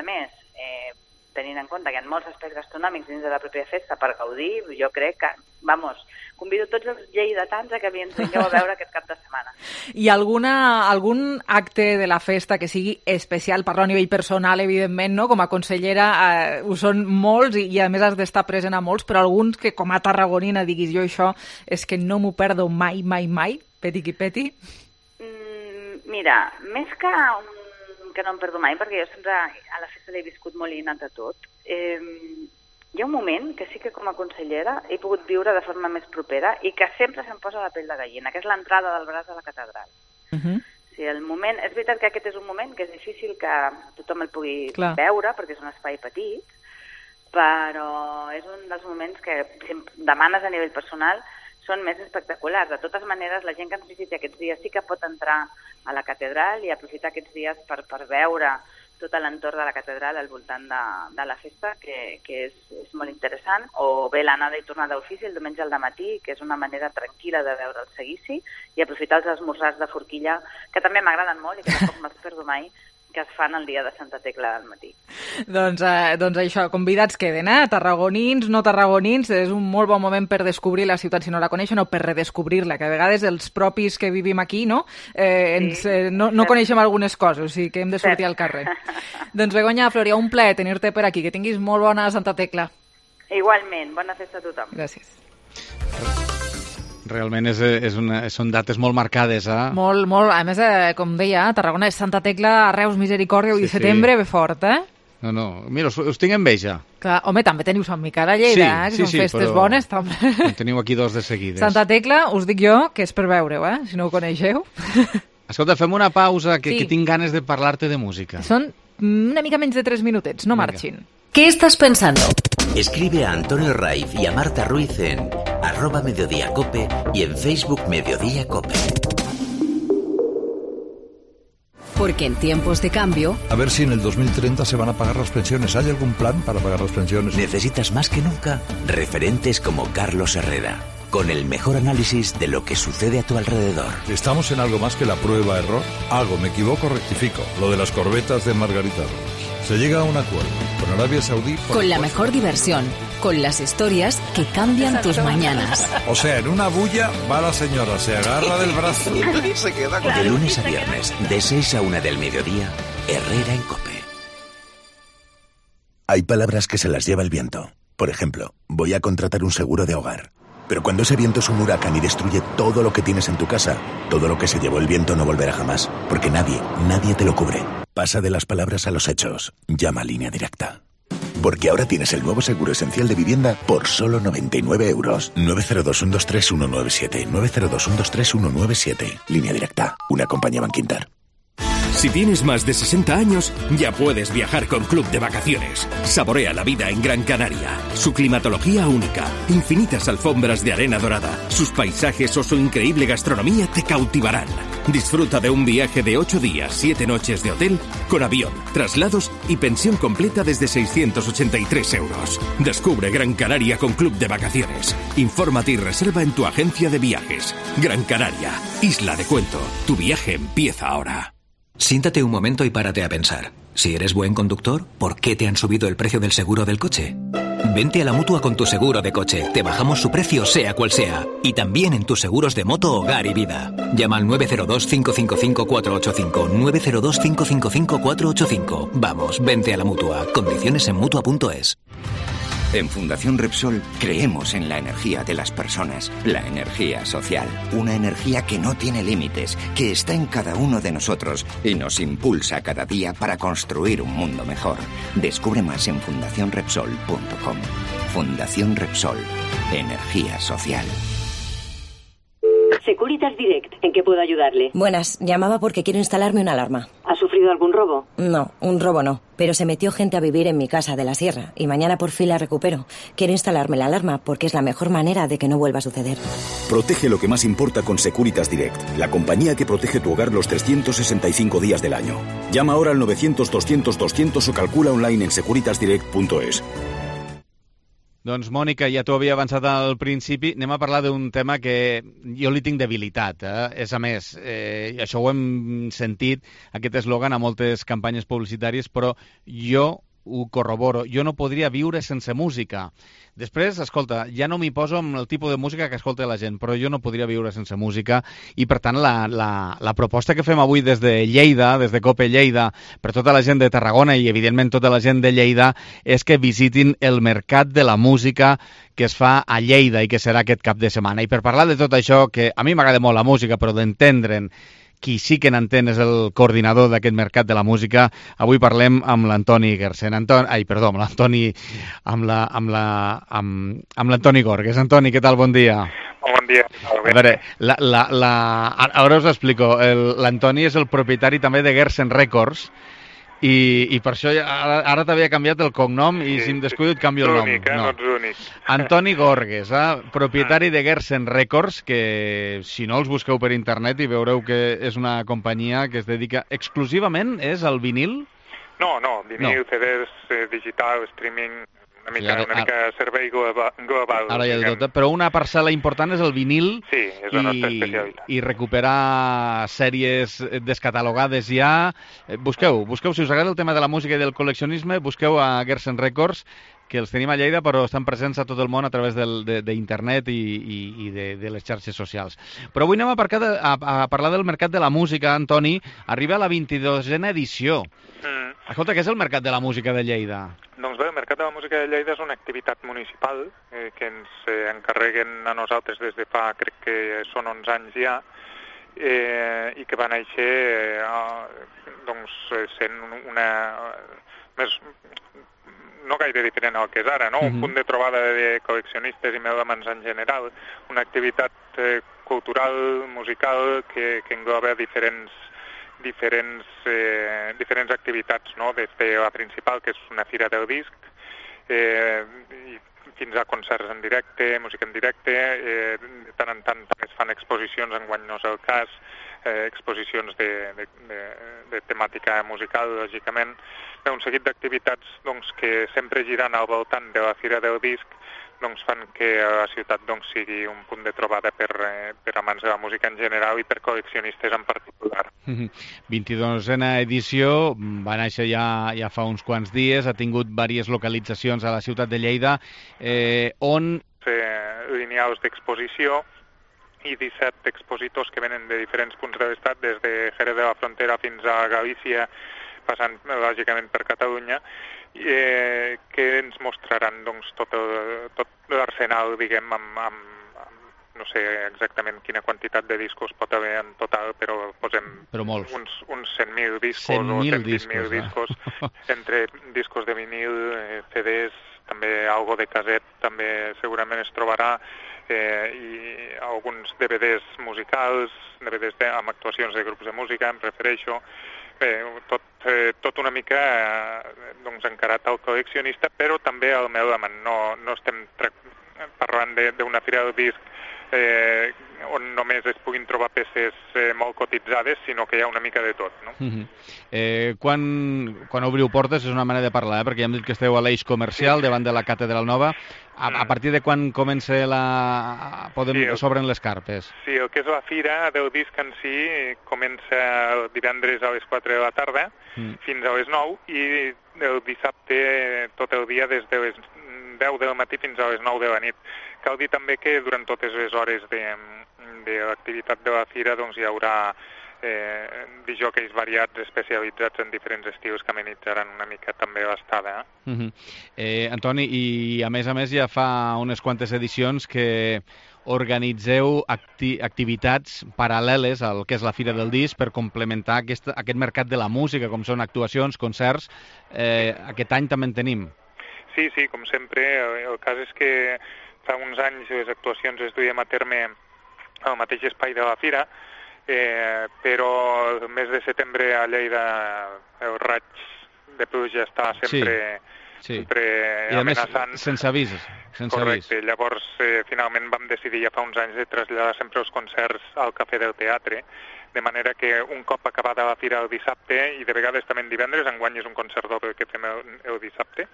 tenint en compte que hi ha molts espais gastronòmics dins de la pròpia festa per gaudir, jo crec que, convido tots els lleidatans a que ens vingueu a veure aquest cap de setmana. I algun acte de la festa que sigui especial, parlo a nivell personal, evidentment, no? Com a consellera ho són molts i a més has d'estar present a molts, però alguns que com a tarragonina diguis jo això és que no m'ho perdo mai, mai, mai, peti qui peti? Mira, més que no em perdo mai, perquè jo sempre a la festa l'he viscut molt i anat a tot, hi ha un moment que sí que com a consellera he pogut viure de forma més propera i que sempre se'm posa la pell de gallina, que és l'entrada del braç a la catedral. Sí, el moment, és veritat que aquest és un moment que és difícil que tothom el pugui veure, perquè és un espai petit, però és un dels moments que, si em demanes a nivell personal, són més espectaculars. De totes maneres, la gent que ens visiti aquests dies sí que pot entrar a la catedral i aprofitar aquests dies per veure tot l'entorn de la catedral al voltant de la festa, que és molt interessant, o bé l'anada i tornada d'ofici el diumenge al dematí, que és una manera tranquil·la de veure el seguici, i aprofitar els esmorzars de forquilla, que també m'agraden molt i que tampoc me'ls perdo mai, que es fan el dia de Santa Tecla al matí. Doncs això, convidats queden, tarragonins, no tarragonins, és un molt bon moment per descobrir la ciutat si no la coneixen o per redescobrir-la, que a vegades els propis que vivim aquí no coneixem algunes coses, o sigui que hem de sortir al carrer. Doncs Begoña Floria, un plaer tenir-te per aquí, que tinguis molt bona Santa Tecla. Igualment, bona festa a tothom. Gràcies. Realment són dates molt marcades, Molt, a més, com deia, Tarragona és Santa Tecla, Reus, Misericòrdia, i setembre ve fort, No, mira, us tinc enveja. Clar, home, també teniu Sant Miquel a Lleida, que són festes bones, també. En teniu aquí dos de seguides. Santa Tecla, us dic jo, que és per veure-ho, si no ho coneixeu. Escolta, fem una pausa, que tinc ganes de parlar-te de música. Són una mica menys de 3 minutets, no marxin. ¿Qué estás pensando? Escribe a Antonio Raiz y a Marta Ruiz en @mediodiacope y en Facebook Mediodía Cope. Porque en tiempos de cambio... A ver si en el 2030 se van a pagar las pensiones. ¿Hay algún plan para pagar las pensiones? Necesitas más que nunca referentes como Carlos Herrera, con el mejor análisis de lo que sucede a tu alrededor. ¿Estamos en algo más que la prueba-error? Hago, me equivoco, rectifico. Lo de las corbetas de Margarita Robles. Se llega a un acuerdo con Arabia Saudí... Con la mejor diversión, con las historias que cambian tus mañanas. O sea, en una bulla va la señora, se agarra del brazo y se queda con... De lunes a viernes, de 6 a 1 del mediodía, Herrera en Cope. Hay palabras que se las lleva el viento. Por ejemplo, voy a contratar un seguro de hogar. Pero cuando ese viento es un huracán y destruye todo lo que tienes en tu casa, todo lo que se llevó el viento no volverá jamás, porque nadie te lo cubre. Pasa de las palabras a los hechos. Llama a Línea Directa. Porque ahora tienes el nuevo seguro esencial de vivienda por solo 99 euros. 902-123-197. 902-123-197. Línea directa. Una compañía Bankinter. Si tienes más de 60 años, ya puedes viajar con Club de Vacaciones. Saborea la vida en Gran Canaria. Su climatología única, infinitas alfombras de arena dorada, sus paisajes o su increíble gastronomía te cautivarán. Disfruta de un viaje de 8 días, 7 noches de hotel, con avión, traslados y pensión completa desde 683 euros. Descubre Gran Canaria con Club de Vacaciones. Infórmate y reserva en tu agencia de viajes. Gran Canaria, isla de cuento. Tu viaje empieza ahora. Siéntate un momento y párate a pensar. Si eres buen conductor, ¿por qué te han subido el precio del seguro del coche? Vente a la Mutua con tu seguro de coche. Te bajamos su precio sea cual sea. Y también en tus seguros de moto, hogar y vida. Llama al 902-555-485. 902-555-485. Vamos, vente a la Mutua. Condiciones en Mutua.es. En Fundación Repsol creemos en la energía de las personas, la energía social, una energía que no tiene límites, que está en cada uno de nosotros y nos impulsa cada día para construir un mundo mejor. Descubre más en fundacionrepsol.com. Fundación Repsol, energía social. Securitas Direct, ¿en qué puedo ayudarle? Buenas, llamaba porque quiero instalarme una alarma. ¿Ha sufrido algún robo? No, un robo no, pero se metió gente a vivir en mi casa de la sierra y mañana por fin la recupero. Quiero instalarme la alarma porque es la mejor manera de que no vuelva a suceder. Protege lo que más importa con Securitas Direct, la compañía que protege tu hogar los 365 días del año. Llama ahora al 900-200-200 o calcula online en securitasdirect.es. Doncs, Mònica, ja t'ho havia avançat al principi. Anem a parlar d'un tema que jo li tinc debilitat. És a més, això ho hem sentit, aquest eslògan, a moltes campanyes publicitàries, però jo ho corroboro. Jo no podria viure sense música. Després, escolta, ja no m'hi poso amb el tipus de música que escolta la gent, però jo no podria viure sense música i, per tant, la proposta que fem avui des de Lleida, des de COPE Lleida, per tota la gent de Tarragona i, evidentment, tota la gent de Lleida, és que visitin el Mercat de la Música que es fa a Lleida i que serà aquest cap de setmana. I per parlar de tot això, que a mi m'agrada molt la música, però d'entendre'n, qui sí que n'entén és el coordinador d'aquest Mercat de la Música. Avui parlem amb l'Antoni Gersen. Amb l'Antoni Gorgues. Antoni, què tal? Bon dia. Bon dia. A veure, ara us explico. L'Antoni és el propietari també de Gersen Records, i per això ara t'havia canviat el cognom i si em descuido et canvio el nom. No ets únic. Antoni Gorgues, propietari de Gersen Records, que si no els busqueu per internet i veureu que és una companyia que es dedica exclusivament al vinil? No, vinil, CDs, digital, streaming, una mica servei global. Ara ja de tot, però una parcel·la important és el vinil. Sí, és la nostra especialitat. I recuperar sèries descatalogades ja. Busqueu, si us agrada el tema de la música i del col·leccionisme, busqueu a Gersen Records, que els tenim a Lleida, però estan presents a tot el món a través d'internet i de les xarxes socials. Però avui anem a parlar del Mercat de la Música, Antoni. Arriba a la 22a edició. Escolta, què és el Mercat de la Música de Lleida? Doncs bé, el Mercat de la Música de Lleida és una activitat municipal que ens encarreguen a nosaltres des de fa, crec que són 11 anys ja, i que va néixer sent una... no gaire diferent al que és ara, no? Un punt de trobada de col·leccionistes i melòmans en general, una activitat cultural, musical, que engloba diferents activitats, no? Des de la principal, que és una fira del disc, i fins a concerts en directe, música en directe, de tant en tant també es fan exposicions, enguany no és el cas, exposicions de temàtica musical, lògicament, un seguit d'activitats que sempre girant al voltant de la Fira del Disc fan que la ciutat sigui un punt de trobada per amants de la música en general i per col·leccionistes en particular. 22a edició, va néixer ja fa uns quants dies, ha tingut diverses localitzacions a la ciutat de Lleida, on... Lineals d'exposició i 17 expositors que venen de diferents punts de l'estat, des de Jerez de la Frontera fins a Galícia, passant lògicament per Catalunya, que ens mostraran tot l'arsenal, diguem, amb no sé exactament quina quantitat de discos pot haver en total, però posem uns 100.000 discos o 120.000 discos, entre discos de vinil, CDs, també algo de caset també segurament es trobarà, i alguns DVDs musicals, DVDs amb actuacions de grups de música, em refereixo, tot una mica encarat al col·leccionista, però també al meu amant. No estem parlant d'una fira del disc on només es puguin trobar peces molt cotitzades, sinó que hi ha una mica de tot, no? Quan obriu portes és una manera de parlar, perquè ja hem dit que esteu a l'eix comercial davant de la Catedral Nova. A partir de quan comença s'obren les carpes? Sí, el que és la fira del disc en si comença el divendres a les 4 de la tarda fins a les 9 i el dissabte tot el dia des de les 10 del matí fins a les 9 de la nit. Cal dir també que durant totes les hores de l'activitat de la fira hi haurà disjòqueis variats especialitzats en diferents estils que amenitzaran una mica també l'estada. Antoni, i a més ja fa unes quantes edicions que organitzeu activitats paral·leles al que és la Fira del Disc per complementar aquest mercat de la música, com són actuacions, concerts. Aquest any també en tenim. Sí, com sempre. El cas és que fa uns anys les actuacions es duien a terme al mateix espai de la fira, però el mes de setembre a Lleida el raig de pluja està sempre amenaçant. Sense avís. Correcte. Llavors, finalment vam decidir ja fa uns anys de traslladar sempre els concerts al Cafè del Teatre, de manera que un cop acabada la fira el dissabte, i de vegades també en divendres, enguany és un concert doble que fem el dissabte,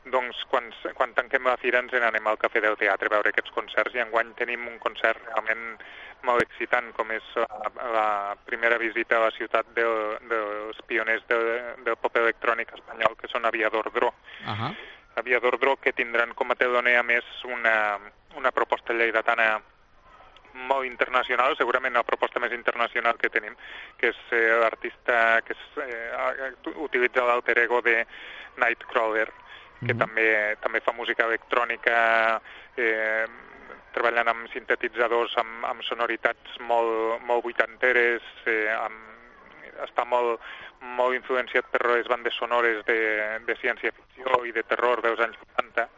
doncs quan tanquem la fira ens n'anem al Cafè del Teatre a veure aquests concerts, i enguany tenim un concert realment molt excitant, com és la primera visita a la ciutat dels pioners del pop electrònic espanyol, que són Aviador Dro. Aviador Dro, que tindran com a teloner a més una proposta lleidatana molt internacional, segurament la proposta més internacional que tenim, que és l'artista que utilitza l'alter ego de Nightcrawler, que també fa música electrònica, treballant amb sintetitzadors, amb sonoritats molt vuitanteres, està molt influenciat per les bandes sonores de ciència-ficció i de terror dels anys 80.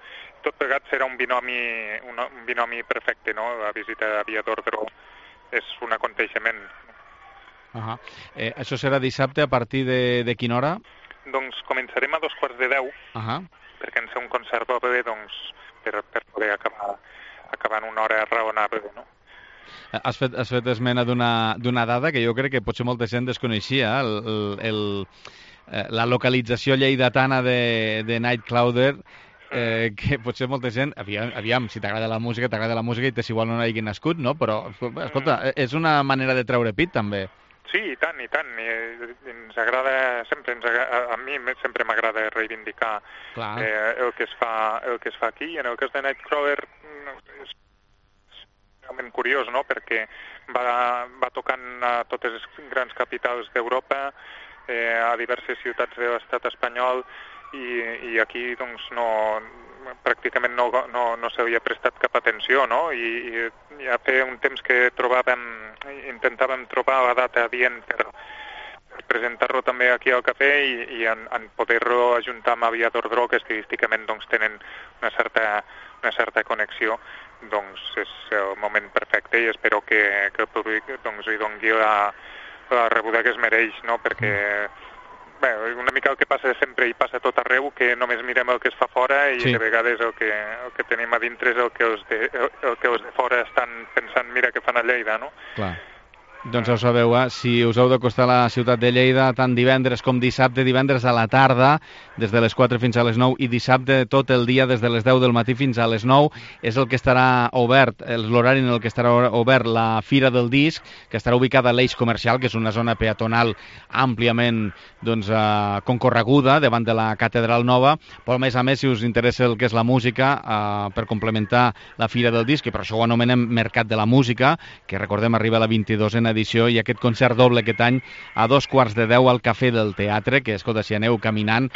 Tot plegat serà un binomi perfecte, no? La visita d'Aviador Dro és un aconteixement. Això serà dissabte a partir de quina hora? Doncs començarem a 9:45, perquè en ser un concert doble, per poder acabar en una hora raonable, no? Has fet esmena d'una dada que jo crec que potser molta gent desconeixia, la localització lleidatana de Nightcrawler, que potser molta gent, aviam, si t'agrada la música i t'és igual on hagi nascut, no? Però, escolta, és una manera de treure pit, també. Sí, i tant. I ens agrada sempre, a mi sempre m'agrada reivindicar el que es fa aquí. I en el cas de Nightcrawler és realment curiós, no? Perquè va tocant a totes les grans capitals d'Europa, a diverses ciutats de l'estat espanyol, i aquí pràcticament no s'havia prestat cap atenció, no? I ja feia un temps que intentàvem trobar la data adient per presentar-lo també aquí al cafè i en poder-lo ajuntar amb Aviador Dro, que estilísticament tenen una certa connexió. Doncs és el moment perfecte i espero que el públic li doni la rebuda que es mereix, no? Perquè una mica el que passa sempre i passa tot arreu, que només mirem el que es fa fora i de vegades el que tenim a dintre és el que els de fora estan pensant, mira què fan a Lleida, no? Clar. Doncs ja ho sabeu, si us heu d'acostar a la ciutat de Lleida, tant divendres com dissabte, divendres a la tarda, des de les 4 fins a les 9, i dissabte tot el dia, des de les 10 del matí fins a les 9, és el que estarà obert, l'horari en el que estarà obert la Fira del Disc, que estarà ubicada a l'eix comercial, que és una zona peatonal àmpliament concorreguda davant de la Catedral Nova, però a més, si us interessa el que és la música, per complementar la Fira del Disc, que per això ho anomenem Mercat de la Música, que recordem arriba a la 22a 22a edició, i aquest concert doble aquest any a 2:15 al Cafè del Teatre, que, escolta, si aneu caminant,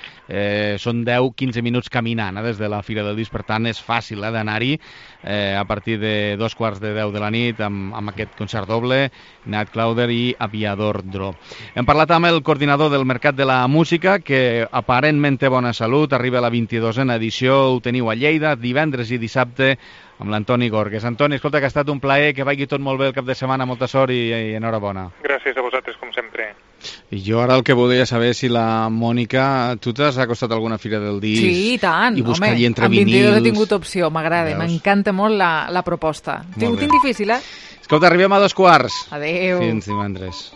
són 10-15 minuts caminant des de la Fira del Disc, per tant és fàcil d'anar-hi a partir de 2:15 de la nit amb aquest concert doble, Nat Clowder i Aviador Dro. Hem parlat amb el coordinador del Mercat de la Música, que aparentment té bona salut, arriba a la 22a edició, ho teniu a Lleida, divendres i dissabte, amb l'Antoni Gorgues. Antoni, escolta, que ha estat un plaer, que vagi tot molt bé el cap de setmana, molta sort i enhorabona. Gràcies a vosaltres, com sempre. I jo ara el que volia saber si la Mònica, tu t'has acostat a alguna fira del disc? Sí, i tant, i buscar home, entre amb vinils. 22 he tingut opció, m'agrada, m'encanta molt la proposta. Ho tinc difícil, Escolta, arribem a 2:15. Adéu. Fins divendres.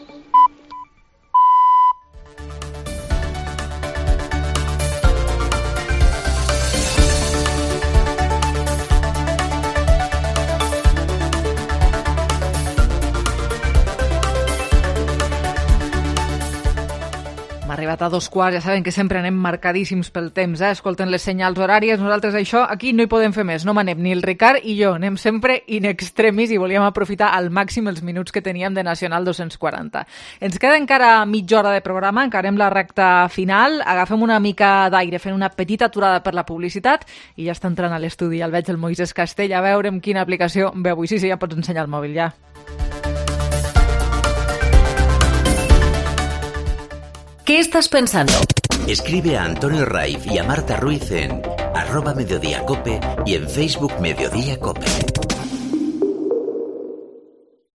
Arribat a 2:15, ja saben que sempre anem marcadíssims pel temps, escolten les senyals horàries, nosaltres això aquí no hi podem fer més, no m'anem ni el Ricard i jo, anem sempre in extremis i volíem aprofitar al màxim els minuts que teníem de Nacional 240. Ens queda encara mitja hora de programa, encarem la recta final, agafem una mica d'aire fent una petita aturada per la publicitat i ja està entrant a l'estudi, el veig el Moisés Castell, a veure amb quina aplicació ve avui. Sí, ja pots ensenyar el mòbil, ja. ¿Qué estás pensando? Escribe a Antonio Raiz y a Marta Ruiz en @mediodiacope y en Facebook Mediodía Cope.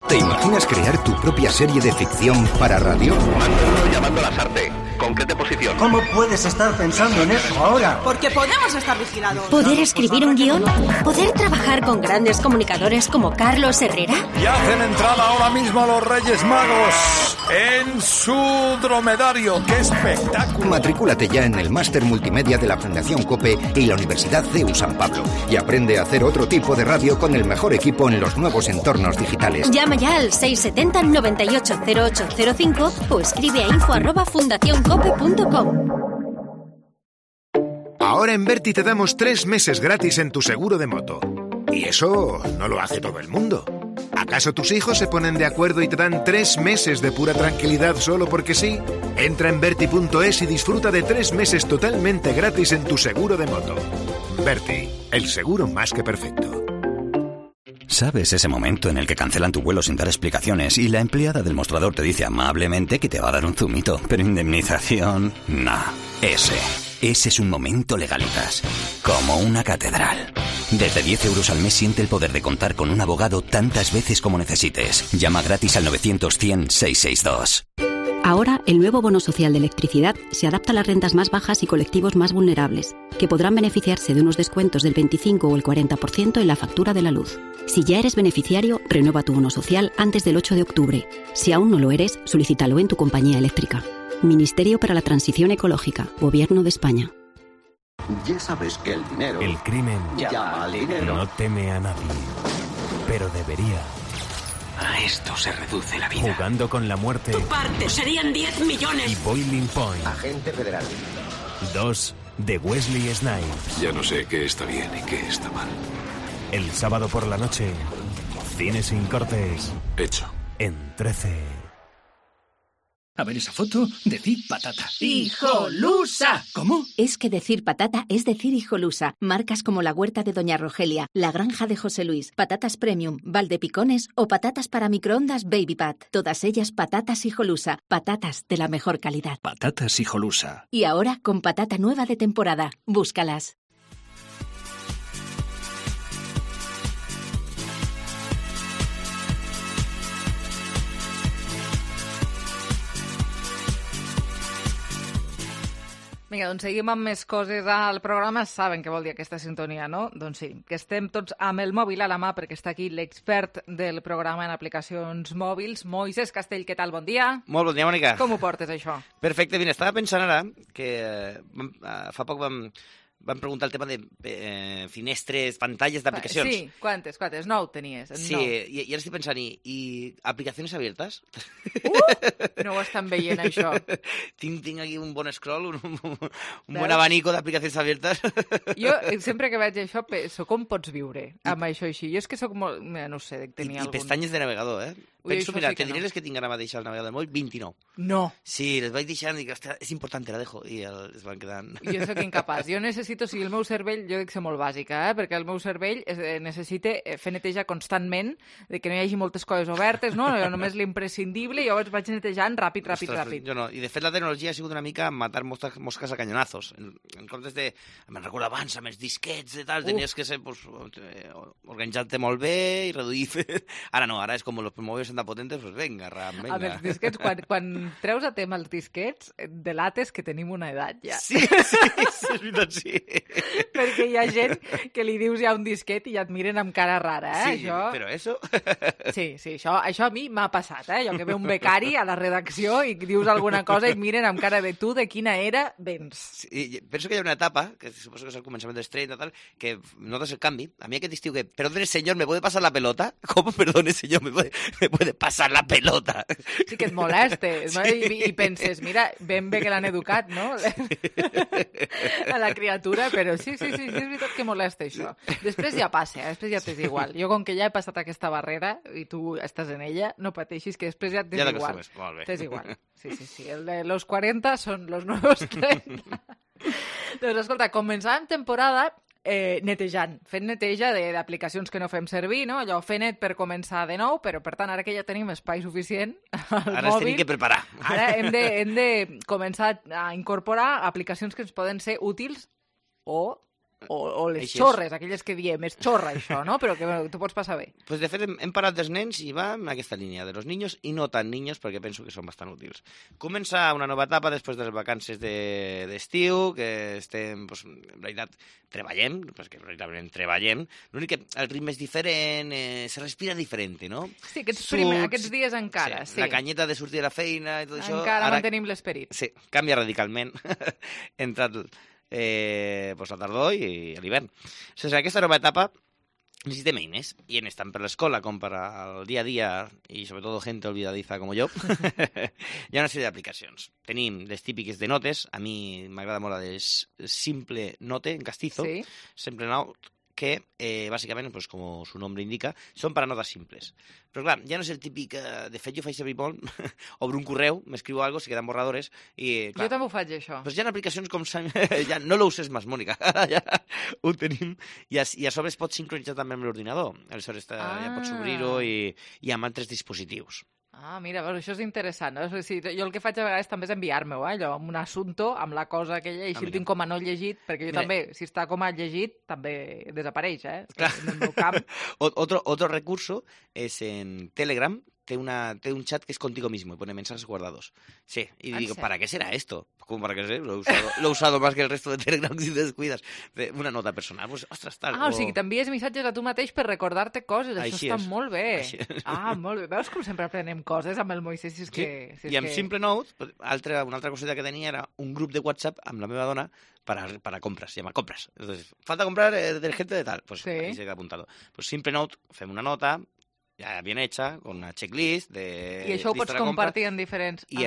¿Te imaginas crear tu propia serie de ficción para radio? Manolo llamando a Lasarte. ¿Con qué posición? ¿Cómo puedes estar pensando en eso ahora? Porque podemos estar vigilados. ¿Poder escribir un guión? ¿Poder trabajar con grandes comunicadores como Carlos Herrera? Y hacen entrada ahora mismo los Reyes Magos en su dromedario. ¡Qué espectáculo! Matricúlate ya en el Máster Multimedia de la Fundación COPE y la Universidad CEU San Pablo y aprende a hacer otro tipo de radio con el mejor equipo en los nuevos entornos digitales. Llama ya al 670 98 0805 o escribe a info@fundacioncope.com. Ahora en Berti te damos 3 meses gratis en tu seguro de moto. Y eso no lo hace todo el mundo. ¿Acaso tus hijos se ponen de acuerdo y te dan 3 meses de pura tranquilidad solo porque sí? Entra en Berti.es y disfruta de 3 meses totalmente gratis en tu seguro de moto. Berti, el seguro más que perfecto. ¿Sabes ese momento en el que cancelan tu vuelo sin dar explicaciones y la empleada del mostrador te dice amablemente que te va a dar un zumito, pero indemnización? No. Ese es un momento Legalitas. Como una catedral. Desde 10 euros al mes siente el poder de contar con un abogado tantas veces como necesites. Llama gratis al 900-100-662. Ahora, el nuevo bono social de electricidad se adapta a las rentas más bajas y colectivos más vulnerables, que podrán beneficiarse de unos descuentos del 25 o el 40% en la factura de la luz. Si ya eres beneficiario, renueva tu bono social antes del 8 de octubre. Si aún no lo eres, solicítalo en tu compañía eléctrica. Ministerio para la Transición Ecológica, Gobierno de España. Ya sabes que el dinero... El crimen llama al dinero. No teme a nadie, pero debería. A esto se reduce la vida. Jugando con la muerte. Tu parte serían 10 millones. Y Boiling Point. Agente federal. 2 de Wesley Snipes. Ya no sé qué está bien y qué está mal. El sábado por la noche, Cine sin cortes. Hecho. En 13. A ver esa foto, decir patata. ¡Hijolusa! ¿Cómo? Es que decir patata es decir hijolusa. Marcas como la huerta de Doña Rogelia, la granja de José Luis, patatas premium, Valdepicones o patatas para microondas Baby Pat. Todas ellas patatas hijolusa. Patatas de la mejor calidad. Patatas hijolusa. Y ahora con patata nueva de temporada. Búscalas. Vinga, doncs seguim amb més coses al programa. Saben què vol dir aquesta sintonia, no? Doncs sí, que estem tots amb el mòbil a la mà perquè està aquí l'expert del programa en aplicacions mòbils, Moisés Castell. Què tal? Bon dia. Molt bon dia, Mònica. Com ho portes, això? Perfecte, mira, estava pensant ara que fa poc vam preguntar el tema de finestres, pantalles d'aplicacions. Sí, quantes? 9 tenies. Sí, i ara estic pensant, i aplicacions abiertes? No ho estan veient, això. Tinc aquí un bon scroll, un bon abanico d'aplicacions abiertes. Jo, sempre que veig això, penso, com pots viure amb això així? Jo és que sóc molt... No sé, tenia I pestanyes de navegador, Penso, mira, te diré les que tinc ara mateix al navegador del mòbil, 29. No. Sí, les vaig deixant i dic, ostres, és important, la dejo, i es van quedant... Jo soc incapaç. Jo necessito, o sigui, el meu cervell, jo dic ser molt bàsica, perquè el meu cervell necessita fer neteja constantment, de que no hi hagi moltes coses obertes, no? Només l'imprescindible, i llavors vaig netejant ràpid. Jo no. I de fet la tecnologia ha sigut una mica matar mosques a canyonazos. En comptes de... Me'n recordo abans, amb els disquets i tal, tenies que ser organitzar-te molt bé i reduir... Ara no, ara és com los mòbils tan potentes, pues venga, ram, venga. Amb els disquets, quan treus a tema els disquets, delates que tenim una edat ja. Sí, és veritat, sí. Perquè hi ha gent que li dius ja un disquet i ja et miren amb cara rara, Sí, això... però eso... Sí, això a mi m'ha passat, Jo que ve un becari a la redacció i dius alguna cosa i et miren amb cara de tu de quina era vens. Sí, penso que hi ha una etapa, que suposo que és el començament dels 30 tal, que notes el canvi. A mi aquest estiu que, perdone señor, ¿me puede pasar la pelota? ¿Cómo, perdone señor, me puede pasar la pelota? Sí, que et molestes, no? I penses, mira, ben bé que l'han educat, no? A la criatura, però sí, és veritat que molesta això. Després ja passa, després ja t'és igual. Jo, com que ja he passat aquesta barrera i tu estàs en ella, no pateixis, que després ja t'és igual. T'és igual. Sí. El de los 40 són los nuevos 30. Doncs escolta, començàvem temporada netejant, fent neteja d'aplicacions que no fem servir, no? Allò, fer net per començar de nou, però per tant, ara que ja tenim espai suficient al ara mòbil... Ara tenim que preparar. Ara hem de començar a incorporar aplicacions que ens poden ser útils o les xorres, aquelles que diem, és xorra això, no? Però que tu pots passar bé. Pues de fet hem parat dels nens i va en aquesta línia, de los niños i no tan niños, perquè penso que són bastant útils. Comença una nova etapa després de les vacances d'estiu, que estem, pues, en realitat, treballem, perquè veritablement treballem, l'únic que el ritme és diferent, se respira diferent, no? Sí, aquests dies encara, sí. La canyeta de sortir de la feina i tot això... Encara mantenim l'esperit. Sí, canvia radicalment entre la tardor i l'hivern. O sigui, aquesta nova etapa necessitem eines, i eines tant per l'escola com per al dia a dia, i sobretot gente olvidadiza com jo. Hi ha una sèrie d'aplicacions. Tenim les típiques de notes, a mi m'agrada molt la de Simple Note, en castizo, Simple Note, que bàsicament, pues, com su nombre indica, són per a notes simples. Però clar, ja no és el típic... de fet, jo faig servir molt, obro un correu, m'escriu algo, se quedan borradores, i clar... Jo també ho faig, això. Pues hi ha aplicacions com... ja no lo uses més, Mònica. Ja ho tenim. I a sobre es pot sincronitzar també amb l'ordinador. Aleshores ja pots obrir-ho i amb altres dispositius. Ah, mira, això és interessant. No? Sí, jo el que faig a vegades també és enviar-me-ho, allò, amb un assumpto, amb la cosa aquella, i així el tinc com a no llegit, perquè jo també, si està com a llegit, també desapareix, Clar. En el meu camp. Otro recurso es en Telegram, té un chat que es contigo mismo y pone mensajes guardados. Sí, y digo, ¿para qué será esto? ¿Cómo para qué será? Lo he usado más que el resto de Telegram si te descuidas. Una nota personal, pues, ostres, tal. O sigui, t'envies missatges a tu mateix per recordar-te coses. Així això està molt bé. Molt bé. Veus com sempre aprenem coses amb el Moisés? I amb Simple Note, una altra coseta que tenia era un grup de WhatsApp amb la meva dona para compras, se llama compras. Entonces, falta comprar detergente de tal. Pues ahí se queda apuntado. Pues Simple Note, fem una nota, ya bien hecha, con una checklist de... I això ho pots compartir en diferents... I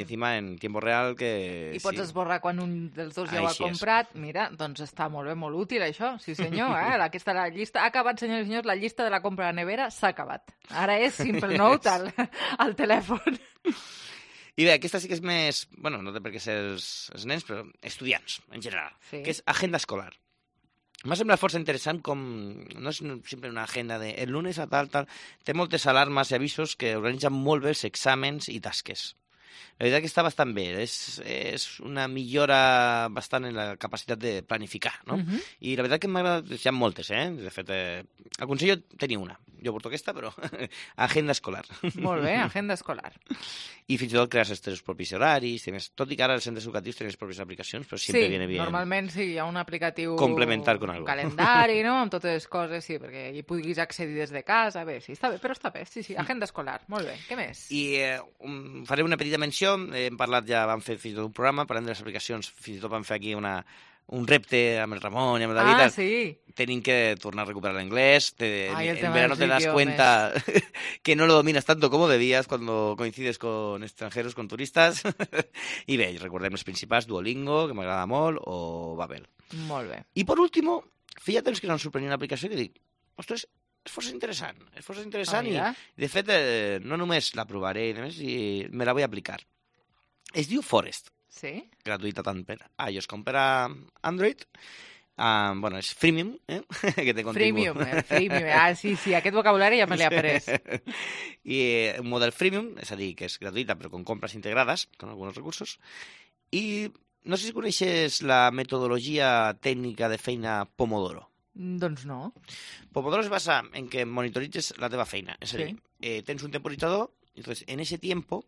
encima en tiempo real que... I pots esborrar quan un dels dos ja ho ha comprat. Mira, doncs està molt bé, molt útil això. Sí senyor, aquesta la llista... Ha acabat, senyors i senyors, la llista de la compra a la nevera s'ha acabat. Ara és Simple Note al telèfon. I bé, aquesta sí que és més... Bueno, no té per què ser els nens, però estudiants, en general. Que és agenda escolar. M'ha semblat força interessant com... No és sempre una agenda de el lunes a tal. Té moltes alarmes i avisos que organitzen molt bé els exàmens i tasques. La veritat que està bastant bé. És una millora bastant en la capacitat de planificar, no? I la veritat que m'agrada... Hi ha moltes, De fet, aconsello tenir una. Jo porto aquesta, però agenda escolar. Molt bé, agenda escolar. I fins i tot crear els teus propis horaris. Tot i que ara els centres educatius tenen les pròpies aplicacions, però sempre viene bien. Sí, normalment sí, hi ha un aplicatiu... Complementar con algo. Un calendari, no?, amb totes les coses, sí, perquè hi puguis accedir des de casa. Bé, sí, està bé, però està bé. Sí, agenda escolar. Molt bé. Què més? I faré una petita menció. Hem parlat ja, vam fer fins i tot un programa, parlant de les aplicacions, fins i tot vam fer aquí un repte amb el Ramon i amb el David. Sí. Tenim que tornar a recuperar l'anglès. En verano te das cuenta que no lo dominas tanto como debías cuando coincides con extranjeros, con turistas. I bé, recordem els principals, Duolingo, que m'agrada molt, o Babel. Molt bé. I per último, feia temps que no em sorprenia una aplicació que dic, ostres, és força interessant i, mira. de fet, no només la provaré i me la vull aplicar. Es diu Forest. Sí? Gratuïta tant per iOS com per a Android. Bueno, és freemium, que té contingut. Freemium. Sí, aquest vocabulari ja me l'he après. I un model freemium, és a dir, que és gratuïta però con compres integrades, con alguns recursos. I no sé si coneixes la metodologia tècnica de feina Pomodoro. Doncs no. Pomodoro es basa en que monitoritzes la teva feina. És a dir, tens un temporizador, entonces en ese tiempo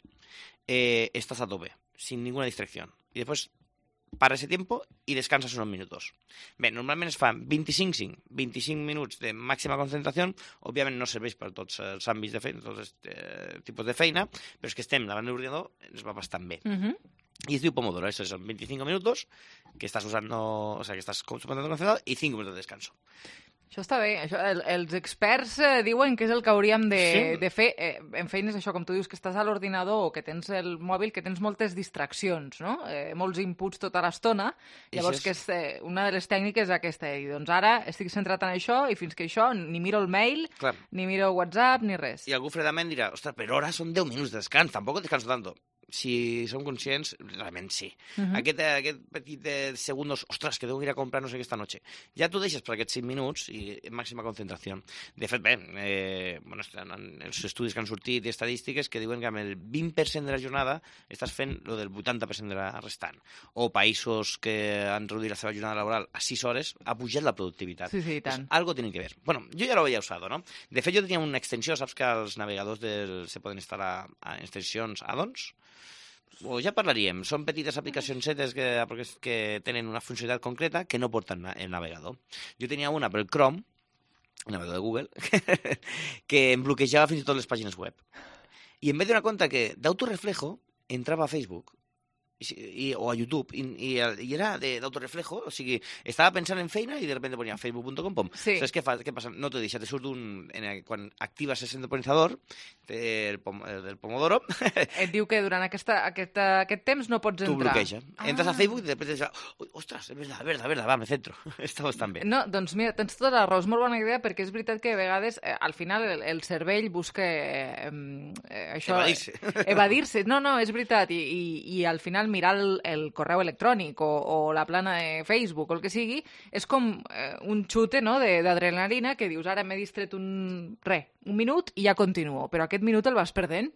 estás a tope, sin ninguna distracción. Y después para ese tiempo y descansas unos minutos. Bé, normalment es fan 25 minuts de màxima concentració. Òbviament no serveix per tots els àmbits de feina, tots els tipus de feina, però és que estem davant de l'ordinador, ens va bastant bé. Y es diu Pomodoro, eso son 25 minutos que estás usando, o sea, que estás completamente concentrado y 5 minutos de descanso. Això està bé. Els experts diuen que és el que hauríem de fer en feines, això, com tu dius, que estàs a l'ordinador o que tens el mòbil, que tens moltes distraccions, no? Molts inputs tota l'estona. Llavors, que és una de les tècniques aquesta. I doncs ara estic centrat en això i fins que això ni miro el mail, ni miro WhatsApp, ni res. I algú fredament dirà, ostres, però ara són 10 minuts de descans, tampoc descanso tanto. Si som conscients, realment sí. Aquest petit segundos, ostres, que devo ir a comprar no sé què esta noche. Ja t'ho deixes per aquests 5 minuts i màxima concentració. De fet, bé, els estudis que han sortit i estadístiques que diuen que amb el 20% de la jornada estàs fent lo del 80% de la restant. O països que han reduït la seva jornada laboral a 6 hores, ha pujat la productivitat. Sí, i tant. Algo tiene que ver. Bueno, yo ya lo había usado, ¿no? De fet, jo tenia una extensió, saps que els navegadors se poden instal·lar a extensions add-ons? Ja parlaríem. Són petites aplicacions que tenen una funcionalitat concreta que no porten el navegador. Jo tenia una per el Chrome, el navegador de Google, que em bloquejava fins i tot les pàgines web. I em vaig donar compte que d'autoreflejo entrava a Facebook o a YouTube i era d'autoreflejo, o sigui, estava pensant en feina i de repente ponia facebook.com. Saps què passa? No t'ho deixa, te surt quan actives el temporizador del Pomodoro et diu que durant aquest temps no pots entrar. Tu bloqueja. Entres a Facebook i després dius, ostres, és verdad, va, me centro. Està bastant bé. No, doncs mira, tens tota la raó, és molt bona idea perquè és veritat que a vegades al final el cervell busca això... Evadir-se. No, és veritat. I al final mirar el correu electrònic o la plana de Facebook o el que sigui, és com un xute d'adrenalina que dius, ara m'he distret un minut i ja continuo, però aquest minut el vas perdent.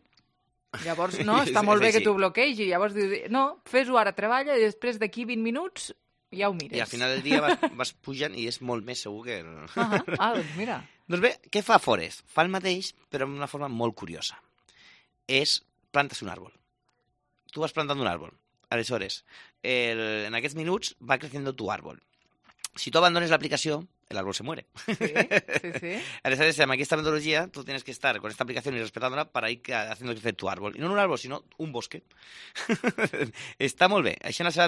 Llavors, no, està molt bé que t'ho bloquegi. Llavors dius, no, fes-ho ara, treballa i després d'aquí 20 minuts ja ho mires. I al final del dia vas pujant i és molt més segur que... Doncs mira. Doncs bé, què fa Forest? Fa el mateix, però d'una forma molt curiosa. Plantes un árbol. Tu vas plantando un árbol. Aleshores, en aquests minuts va creciendo tu árbol. Si tu abandones l'aplicació, el árbol se muere. Sí. Aleshores, amb aquesta metodologia, tú tienes que estar con esta aplicación y respetándola para ir haciendo crecer tu árbol. Y no un árbol, sino un bosque. Està molt bé. Això és la seva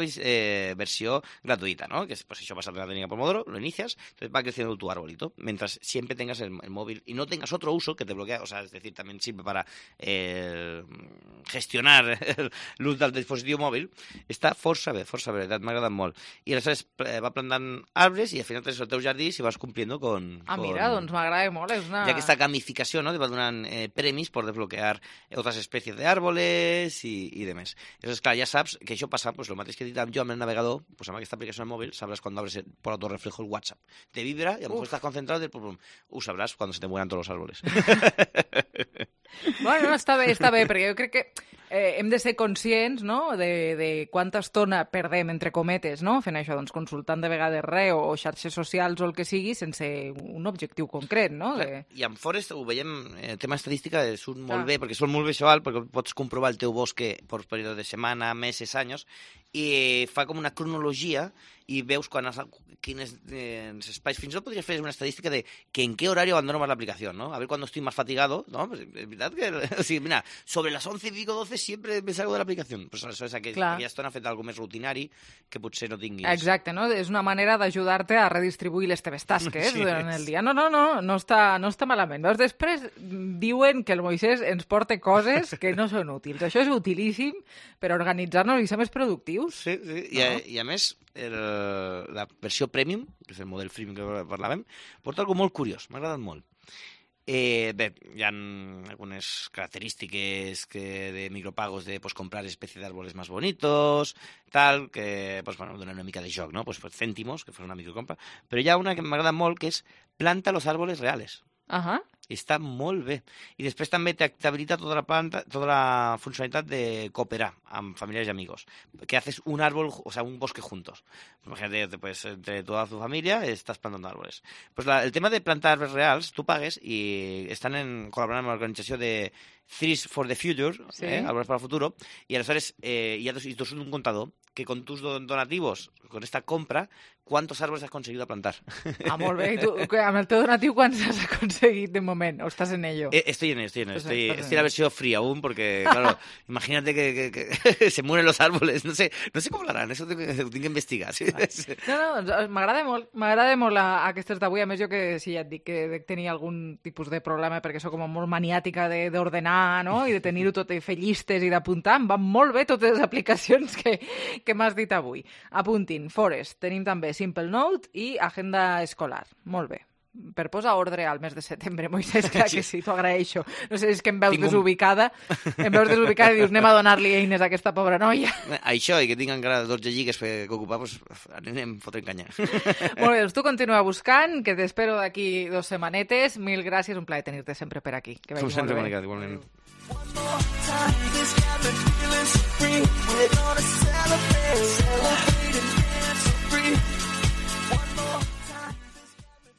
versió gratuïta, ¿no? Que pues això pasa de la técnica Pomodoro, lo inicias, entonces va creciendo tu arbolito, mientras siempre tengas el móvil y no tengas otro uso que te bloquea, o sea, es decir, también sirve para gestionar l'ús del dispositiu mòbil. Està força bé, m'ha agradat molt. I aleshores va plantant arbres i al final tens el teu jardí si vas cumpliendo con... mira, doncs m'agrada molt. Y aquesta gamificación, ¿no? Te va donant premis por desbloquear otras especies de árboles y demás. Entonces, clar, ja saps que això passa, pues, lo mateix que he dit jo amb el navegador, pues, amb aquesta aplicació al móvil, sabrás cuando abres por autorreflejo el WhatsApp. Te vibra y a lo mejor estás concentrado y sabrás cuando se te mueran todos los árboles. Bueno, està bé, perquè jo crec que hem de ser conscients, no?, de quanta estona perdem, entre cometes, no?, fent això, doncs consultant de vegades res o xarxes socials o el que sigui sense un objectiu concret, no? I amb Forest ho veiem, el tema estadística surt molt bé, perquè surt molt visual, perquè pots comprovar el teu bosque per període de setmana, mesos, anys, i fa com una cronologia i veus quins espais. Fins i tot podries fer una estadística de que en qué horario abandono más la aplicación, ¿no? A ver cuando estoy más fatigado, ¿no? Pues es verdad que, o sigui, mira, sobre las 11 y pico, 12 siempre me salgo de l'aplicació. Pues això és aquella estona feta algo més rutinari que potser no tinguis. Exacte, no? És una manera d'ajudar-te a redistribuir les teves tasques durant el dia. No està malament. Veus, després diuen que el Moisès ens porta coses que no són útils. Això és utilíssim per organitzar-nos i ser més productius. Sí. I a més, la versió Premium, que és el model freemium que parlàvem, porta algo molt curiós, m'ha agradat molt. Bé, hi ha algunes característiques de micropagos de comprar especie de árboles más bonitos, tal, que donen una mica de joc, no? Pues cèntimos, que fos una microcompra. Però hi ha una que m'agrada molt, que és planta los árboles reales. I està molt bé. I després també t'habilita tota la funcionalitat de cooperar amb familiares y amigos. Que haces un árbol, o sea, un bosque juntos. Imagínate, pues, entre toda tu familia estás plantando árboles. Pues el tema de plantar árboles reals, tu pagues i estan col·laborant amb l'organització de Trees for the Future, árboles para el futuro, y aleshores hi ha un contador que con tus donativos, con esta compra, ¿cuántos árboles has conseguido plantar? Molt bé. I tu, amb el teu donatiu, quants has aconseguit de moment? ¿O estás en ello? Estoy en ello. Estoy en la versión free aún, porque, claro, imagínate que se mueren los árboles. No sé cómo lo harán, eso ho tinc que investigar. Sí? No, m'agrada molt aquestes d'avui. A més, jo que sí, ja et dic que tenia algun tipus de problema perquè sóc com molt maniàtica d'ordenar, no? I de tenir-ho tot, i fer llistes i d'apuntar. Em van molt bé totes les aplicacions que m'has dit avui. Apuntin, Forest, tenim també Simple Note i Agenda Escolar. Molt bé. Per posar ordre al mes de setembre, Moisés, clar que sí, t'ho agraeixo. No sé, és que em veus desubicada i dius, anem a donar-li eines a aquesta pobra noia. Això, i que tinc encara 12 lligues que ocupar, doncs anem fotent canya. Molt bé, doncs tu continua buscant, que t'espero d'aquí 2 setmanetes. Mil gràcies, un plaer tenir-te sempre per aquí. Com sempre, Mònica, igualment.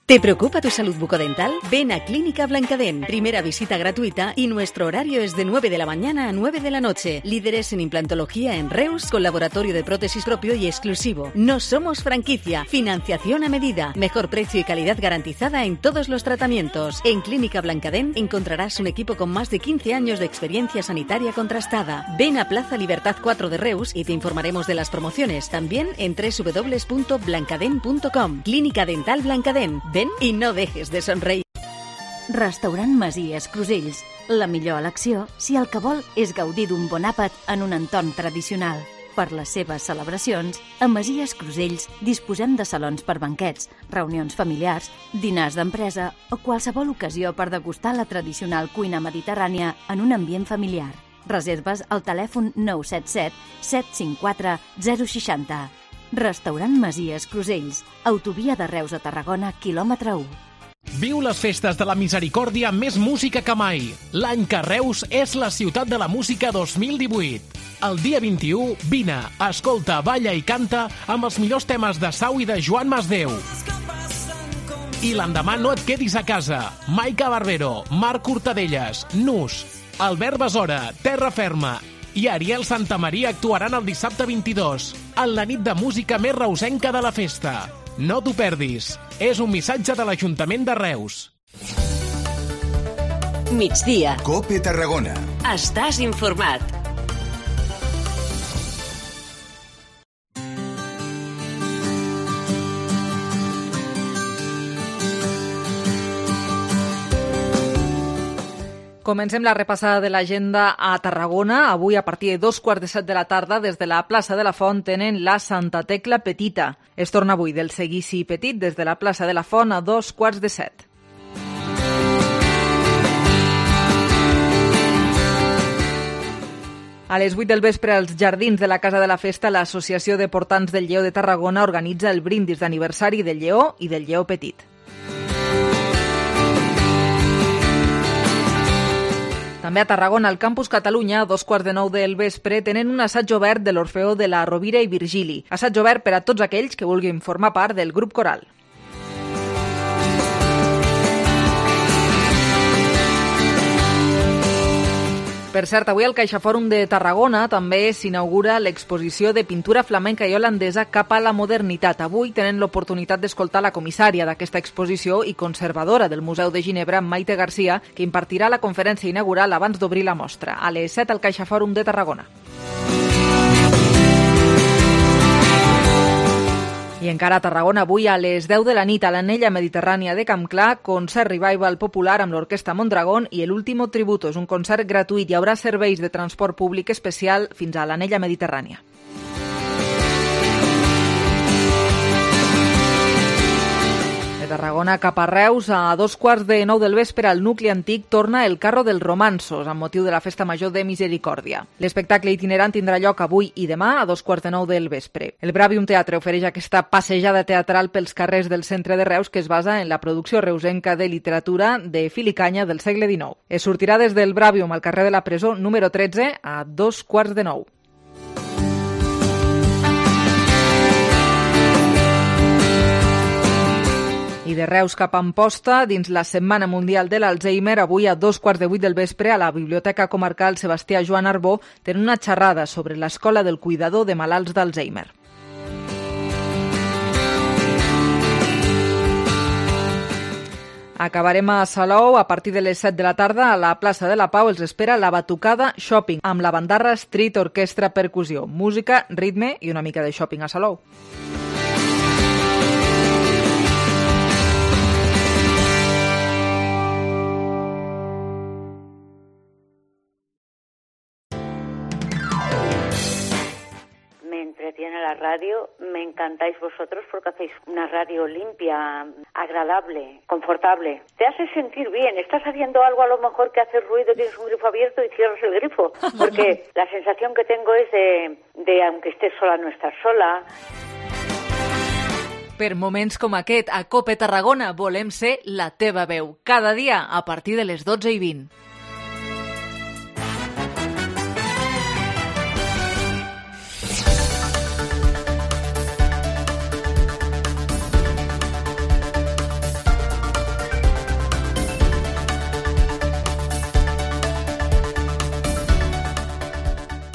¿Te preocupa tu salud bucodental? Ven a Clínica Blancadent. Primera visita gratuita y nuestro horario es de 9 de la mañana a 9 de la noche. Líderes en implantología en Reus, con laboratorio de prótesis propio y exclusivo. No somos franquicia. Financiación a medida. Mejor precio y calidad garantizada en todos los tratamientos. En Clínica Blancadent encontrarás un equipo con más de 15 años de experiencia sanitaria contrastada. Ven a Plaza Libertad 4 de Reus y te informaremos de las promociones. También en www.blancadent.com. Clínica Dental Blancadent. Ven i no dejes de somreir. Restaurant Masies Crusells. La millor elecció si el que vol és gaudir d'un bon àpat en un entorn tradicional. Per les seves celebracions, a Masies Crusells disposem de salons per banquets, reunions familiars, dinars d'empresa o qualsevol ocasió per degustar la tradicional cuina mediterrània en un ambient familiar. Reserves al telèfon 977 754 060. Restaurant Masies Crusells, autovia de Reus a Tarragona, quilòmetre 1. Viu les festes de la misericòrdia amb més música que mai. L'any que Reus és la ciutat de la música 2018. El dia 21, vine, escolta, balla i canta amb els millors temes de Sau i de Joan Masdeu. I l'endemà no et quedis a casa. Maica Barbero, Marc Hortadelles, Nus, Albert Besora, Terra Ferma i Ariel Santamaria actuaran el dissabte 22, en la nit de música més reusenca de la festa. No t'ho perdis. És un missatge de l'Ajuntament de Reus. Migdia. COPE Tarragona. Estàs informat. Comencem la repassada de l'agenda a Tarragona. Avui, a partir de 2:15 de la tarda, des de la plaça de la Font, tenen la Santa Tecla Petita. Es torna avui del Seguici Petit des de la plaça de la Font a 2:15. A les 8 del vespre, als jardins de la Casa de la Festa, l'Associació de Portants del Lleó de Tarragona organitza el brindis d'aniversari del Lleó i del Lleó Petit. També a Tarragona, al Campus Catalunya, a 8:45 del vespre, tenen un assaig obert de l'Orfeó de la Rovira i Virgili. Assaig obert per a tots aquells que vulguin formar part del grup coral. Per cert, avui al CaixaFòrum de Tarragona també s'inaugura l'exposició de pintura flamenca i holandesa cap a la modernitat. Avui tenen l'oportunitat d'escoltar la comissària d'aquesta exposició i conservadora del Museu de Ginebra, Maite Garcia, que impartirà la conferència inaugural abans d'obrir la mostra, a les 7 al CaixaFòrum de Tarragona. I encara a Tarragona, avui a les 10 de la nit a l'Anella Mediterrània de Campclar, concert revival popular amb l'Orquestra Mondragón i l'Último Tributo. És un concert gratuït. Hi haurà serveis de transport públic especial fins a l'Anella Mediterrània. De Tarragona cap a Reus, a 8:45 del vespre, al nucli antic torna el Carro dels Romanços, amb motiu de la Festa Major de Misericòrdia. L'espectacle itinerant tindrà lloc avui i demà a 8:45 del vespre. El Bravium Teatre ofereix aquesta passejada teatral pels carrers del centre de Reus que es basa en la producció reusenca de literatura de fil i canya del segle XIX. Es sortirà des del Bravium al carrer de la Presó número 13 a 8:45. I de Reus cap a Amposta, dins la Setmana Mundial de l'Alzheimer, avui a 7:15 del vespre a la Biblioteca Comarcal Sebastià Joan Arbó tenen una xerrada sobre l'Escola del Cuidador de Malalts d'Alzheimer. Acabarem a Salou. A partir de les 7 de la tarda a la plaça de la Pau els espera la Batucada Shopping amb la Bandarra Street Orquestra Percussió. Música, ritme i una mica de shopping a Salou. Entretiene la radio, me encantáis vosotros porque hacéis una radio limpia, agradable, confortable. Te hace sentir bien, estás haciendo algo a lo mejor que hace ruido, tienes un grifo abierto y cierras el grifo, porque la sensación que tengo es de aunque estés sola, no estás sola. Per moments com aquest, a COPE Tarragona volem ser la teva veu, cada dia a partir de les 12:20.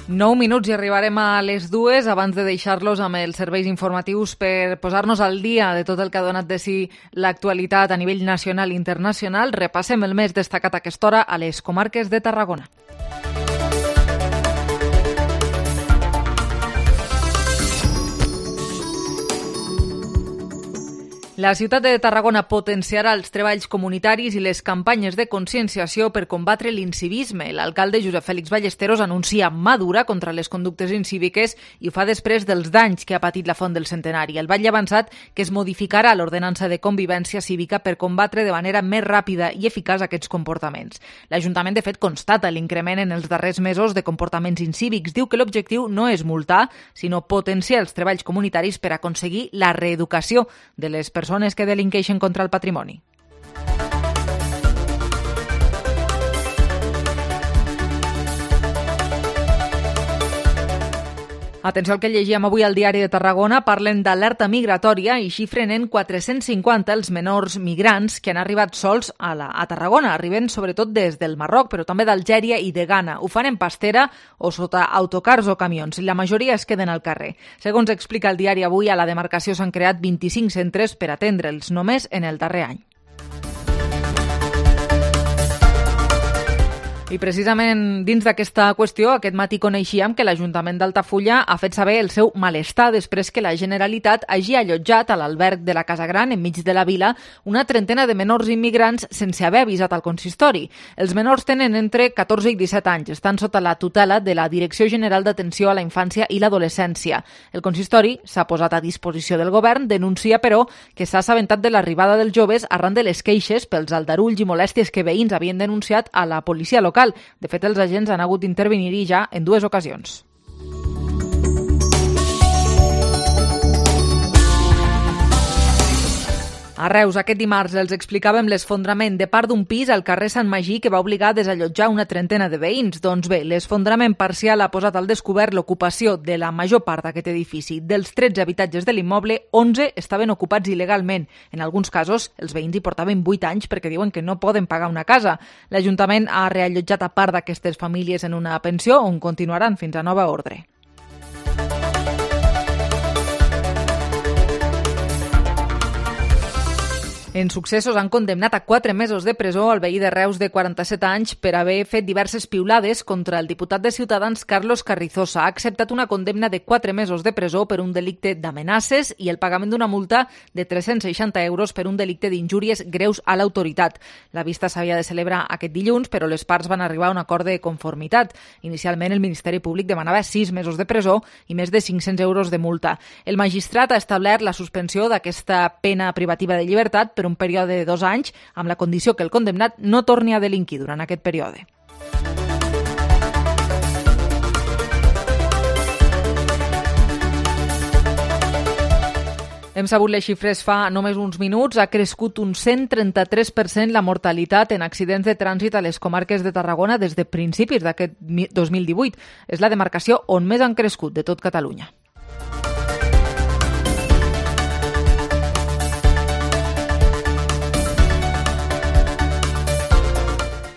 Nou minuts i arribarem a les 2 abans de deixar-los amb els serveis informatius per posar-nos al dia de tot el que ha donat de si l'actualitat a nivell nacional i internacional. Repassem el més destacat a aquesta hora a les comarques de Tarragona. La ciutat de Tarragona potenciarà els treballs comunitaris i les campanyes de conscienciació per combatre l'incivisme. L'alcalde Josep Fèlix Ballesteros anuncia mà dura contra les conductes incíviques i ho fa després dels danys que ha patit la Font del Centenari. El Batlle ha avançat que es modificarà l'ordenança de convivència cívica per combatre de manera més ràpida i eficaç aquests comportaments. L'Ajuntament, de fet, constata l'increment en els darrers mesos de comportaments incívics. Diu que l'objectiu no és multar, sinó potenciar els treballs comunitaris per aconseguir la reeducació de les persones que delinqueixen contra el patrimoni. Atenció al que llegíem avui al Diari de Tarragona. Parlen d'alerta migratòria i xifren en 450 els menors migrants que han arribat sols a Tarragona. Arriben sobretot des del Marroc, però també d'Algèria i de Ghana. Ho fan en pastera o sota autocars o camions. La majoria es queden al carrer. Segons explica el Diari avui, a la demarcació s'han creat 25 centres per atendre'ls només en el darrer any. I precisament dins d'aquesta qüestió, aquest matí coneixíem que l'Ajuntament d'Altafulla ha fet saber el seu malestar després que la Generalitat hagi allotjat a l'alberg de la Casa Gran, enmig de la vila, una trentena de menors immigrants sense haver avisat al consistori. Els menors tenen entre 14 i 17 anys, estan sota la tutela de la Direcció General d'Atenció a la Infància i l'Adolescència. El consistori s'ha posat a disposició del govern, denuncia, però, que s'ha assabentat de l'arribada dels joves arran de les queixes pels aldarulls i molèsties que veïns havien denunciat a la policia local. De fet, els agents han hagut d'intervenir-hi ja en 2 ocasions. A Reus, aquest dimarts, els explicàvem l'esfondrament de part d'un pis al carrer Sant Magí que va obligar a desallotjar una trentena de veïns. Doncs bé, l'esfondrament parcial ha posat al descobert l'ocupació de la major part d'aquest edifici. Dels 13 habitatges de l'immoble, 11 estaven ocupats il·legalment. En alguns casos, els veïns hi portaven 8 anys perquè diuen que no poden pagar una casa. L'Ajuntament ha reallotjat a part d'aquestes famílies en una pensió on continuaran fins a nova ordre. En successos han condemnat a 4 mesos de presó al veí de Reus de 47 anys per haver fet diverses piulades contra el diputat de Ciutadans Carlos Carrizosa. Ha acceptat una condemna de 4 mesos de presó per un delicte d'amenaces i el pagament d'una multa de 360 euros per un delicte d'injúries greus a l'autoritat. La vista s'havia de celebrar aquest dilluns, però les parts van arribar a un acord de conformitat. Inicialment, el Ministeri Públic demanava 6 mesos de presó i més de 500 euros de multa. El magistrat ha establert la suspensió d'aquesta pena privativa de llibertat per per un període de 2 anys, amb la condició que el condemnat no torni a delinquir durant aquest període. Hem sabut les xifres fa només uns minuts. Ha crescut un 133% la mortalitat en accidents de trànsit a les comarques de Tarragona des de principis d'aquest 2018. És la demarcació on més han crescut de tot Catalunya.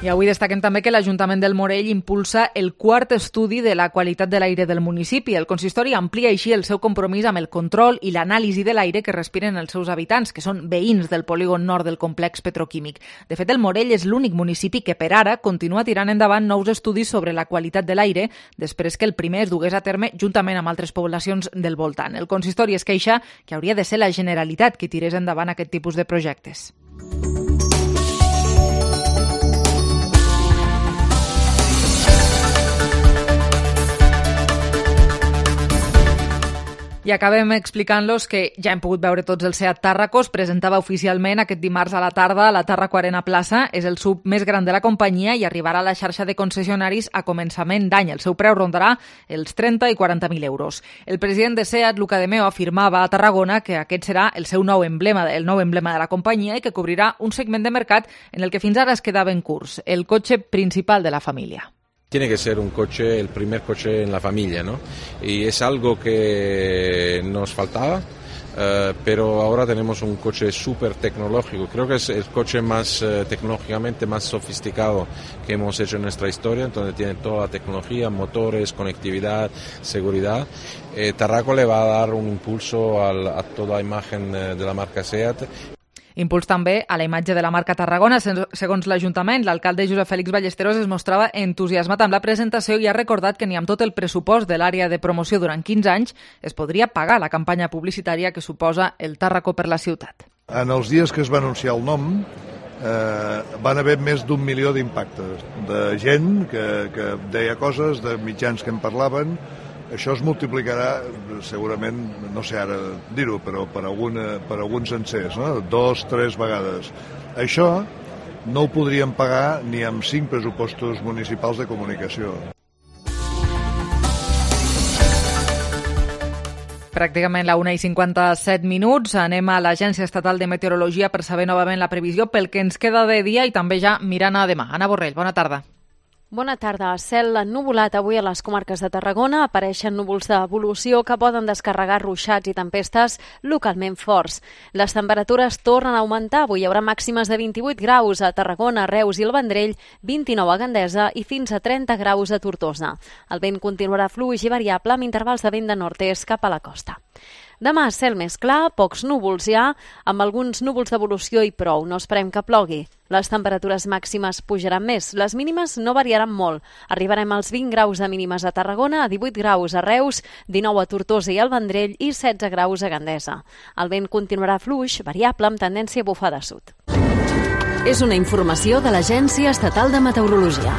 I avui destaquem també que l'Ajuntament del Morell impulsa el quart estudi de la qualitat de l'aire del municipi. El consistori amplia així el seu compromís amb el control i l'anàlisi de l'aire que respiren els seus habitants, que són veïns del polígon nord del complex petroquímic. De fet, el Morell és l'únic municipi que per ara continua tirant endavant nous estudis sobre la qualitat de l'aire després que el primer es dugués a terme juntament amb altres poblacions del voltant. El consistori es queixa que hauria de ser la Generalitat qui tirés endavant aquest tipus de projectes. I acabem explicant-los que ja hem pogut veure tots el Seat Tarraco. Es presentava oficialment aquest dimarts a la tarda a la Tarraco Arena Plaça. És el SUV més gran de la companyia i arribarà a la xarxa de concessionaris a començament d'any. El seu preu rondarà els 30 i 40.000 euros. El president de Seat, Luca de Meo, afirmava a Tarragona que aquest serà el seu nou emblema, el nou emblema de la companyia i que cobrirà un segment de mercat en el que fins ara es quedava en curs, el cotxe principal de la família. Tiene que ser un coche, el primer coche en la familia, ¿no? Y es algo que nos faltaba, pero ahora tenemos un coche súper tecnológico. Creo que es el coche más tecnológicamente más sofisticado que hemos hecho en nuestra historia, donde tiene toda la tecnología, motores, conectividad, seguridad. Tarraco le va a dar un impulso a toda la imagen de la marca Seat. Impuls també a la imatge de la marca Tarragona. Segons l'Ajuntament, l'alcalde Josep Fèlix Ballesteros es mostrava entusiasmat amb la presentació i ha recordat que ni amb tot el pressupost de l'àrea de promoció durant 15 anys es podria pagar la campanya publicitària que suposa el Tarraco per la ciutat. En els dies que es va anunciar el nom van haver més d'1 milió d'impactes, de gent que deia coses, de mitjans que en parlaven. Això es multiplicarà segurament, no sé ara dir-ho, però per alguns sencers, no? 2, 3 vegades. Això no ho podríem pagar ni amb 5 pressupostos municipals de comunicació. Pràcticament la 1:57. Anem a l'Agència Estatal de Meteorologia per saber novament la previsió pel que ens queda de dia i també ja mirant a demà. Anna Borrell, bona tarda. Bona tarda. Cel ennuvolat avui a les comarques de Tarragona. Apareixen núvols d'evolució que poden descarregar ruixats i tempestes localment forts. Les temperatures tornen a augmentar. Avui hi haurà màximes de 28 graus a Tarragona, Reus i el Vendrell, 29 a Gandesa i fins a 30 graus a Tortosa. El vent continuarà fluix i variable amb intervals de vent de nord-est cap a la costa. Demà, cel més clar, pocs núvols ja, amb alguns núvols d'evolució i prou. No esperem que plogui. Les temperatures màximes pujaran més. Les mínimes no variaran molt. Arribarem als 20 graus de mínimes a Tarragona, a 18 graus a Reus, 19 a Tortosa i al Vendrell i 16 graus a Gandesa. El vent continuarà fluix, variable, amb tendència a bufar de sud. És una informació de l'Agència Estatal de Meteorologia.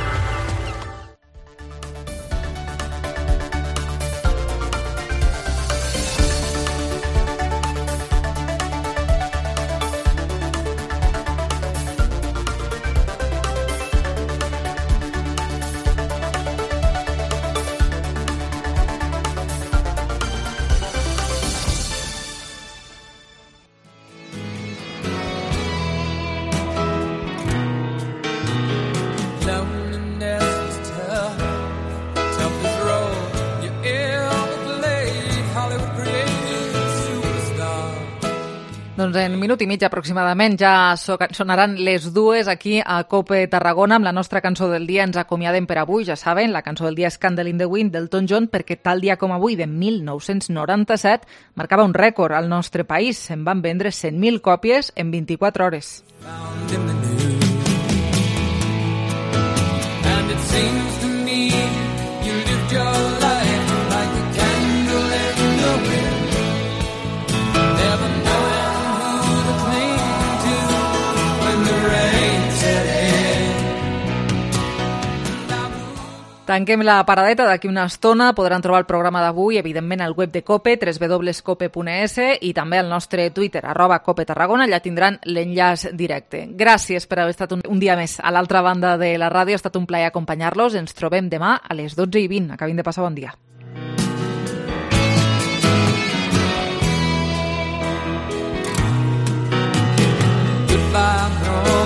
Doncs en minut i mig aproximadament ja sonaran les 2 aquí a COPE Tarragona. Amb la nostra cançó del dia ens acomiadem per avui. Ja saben, la cançó del dia és Candle in the Wind d'Elton John, perquè tal dia com avui, de 1997, marcava un rècord al nostre país. Se'n van vendre 100.000 còpies en 24 hores. And it seems to me you lived your life like a candle in the wind, never knowing who to cling to when the rain set in. Tanquem la paradeta d'aquí una estona. Podran trobar el programa d'avui, evidentment, al web de COPE, www.cope.es, i també al nostre Twitter, @COPE-Tarragona. Allà tindran l'enllaç directe. Gràcies per haver estat un dia més a l'altra banda de la ràdio. Ha estat un plaer acompanyar-los. Ens trobem demà a les 12:20. Acabin de passar bon dia. Goodbye, no.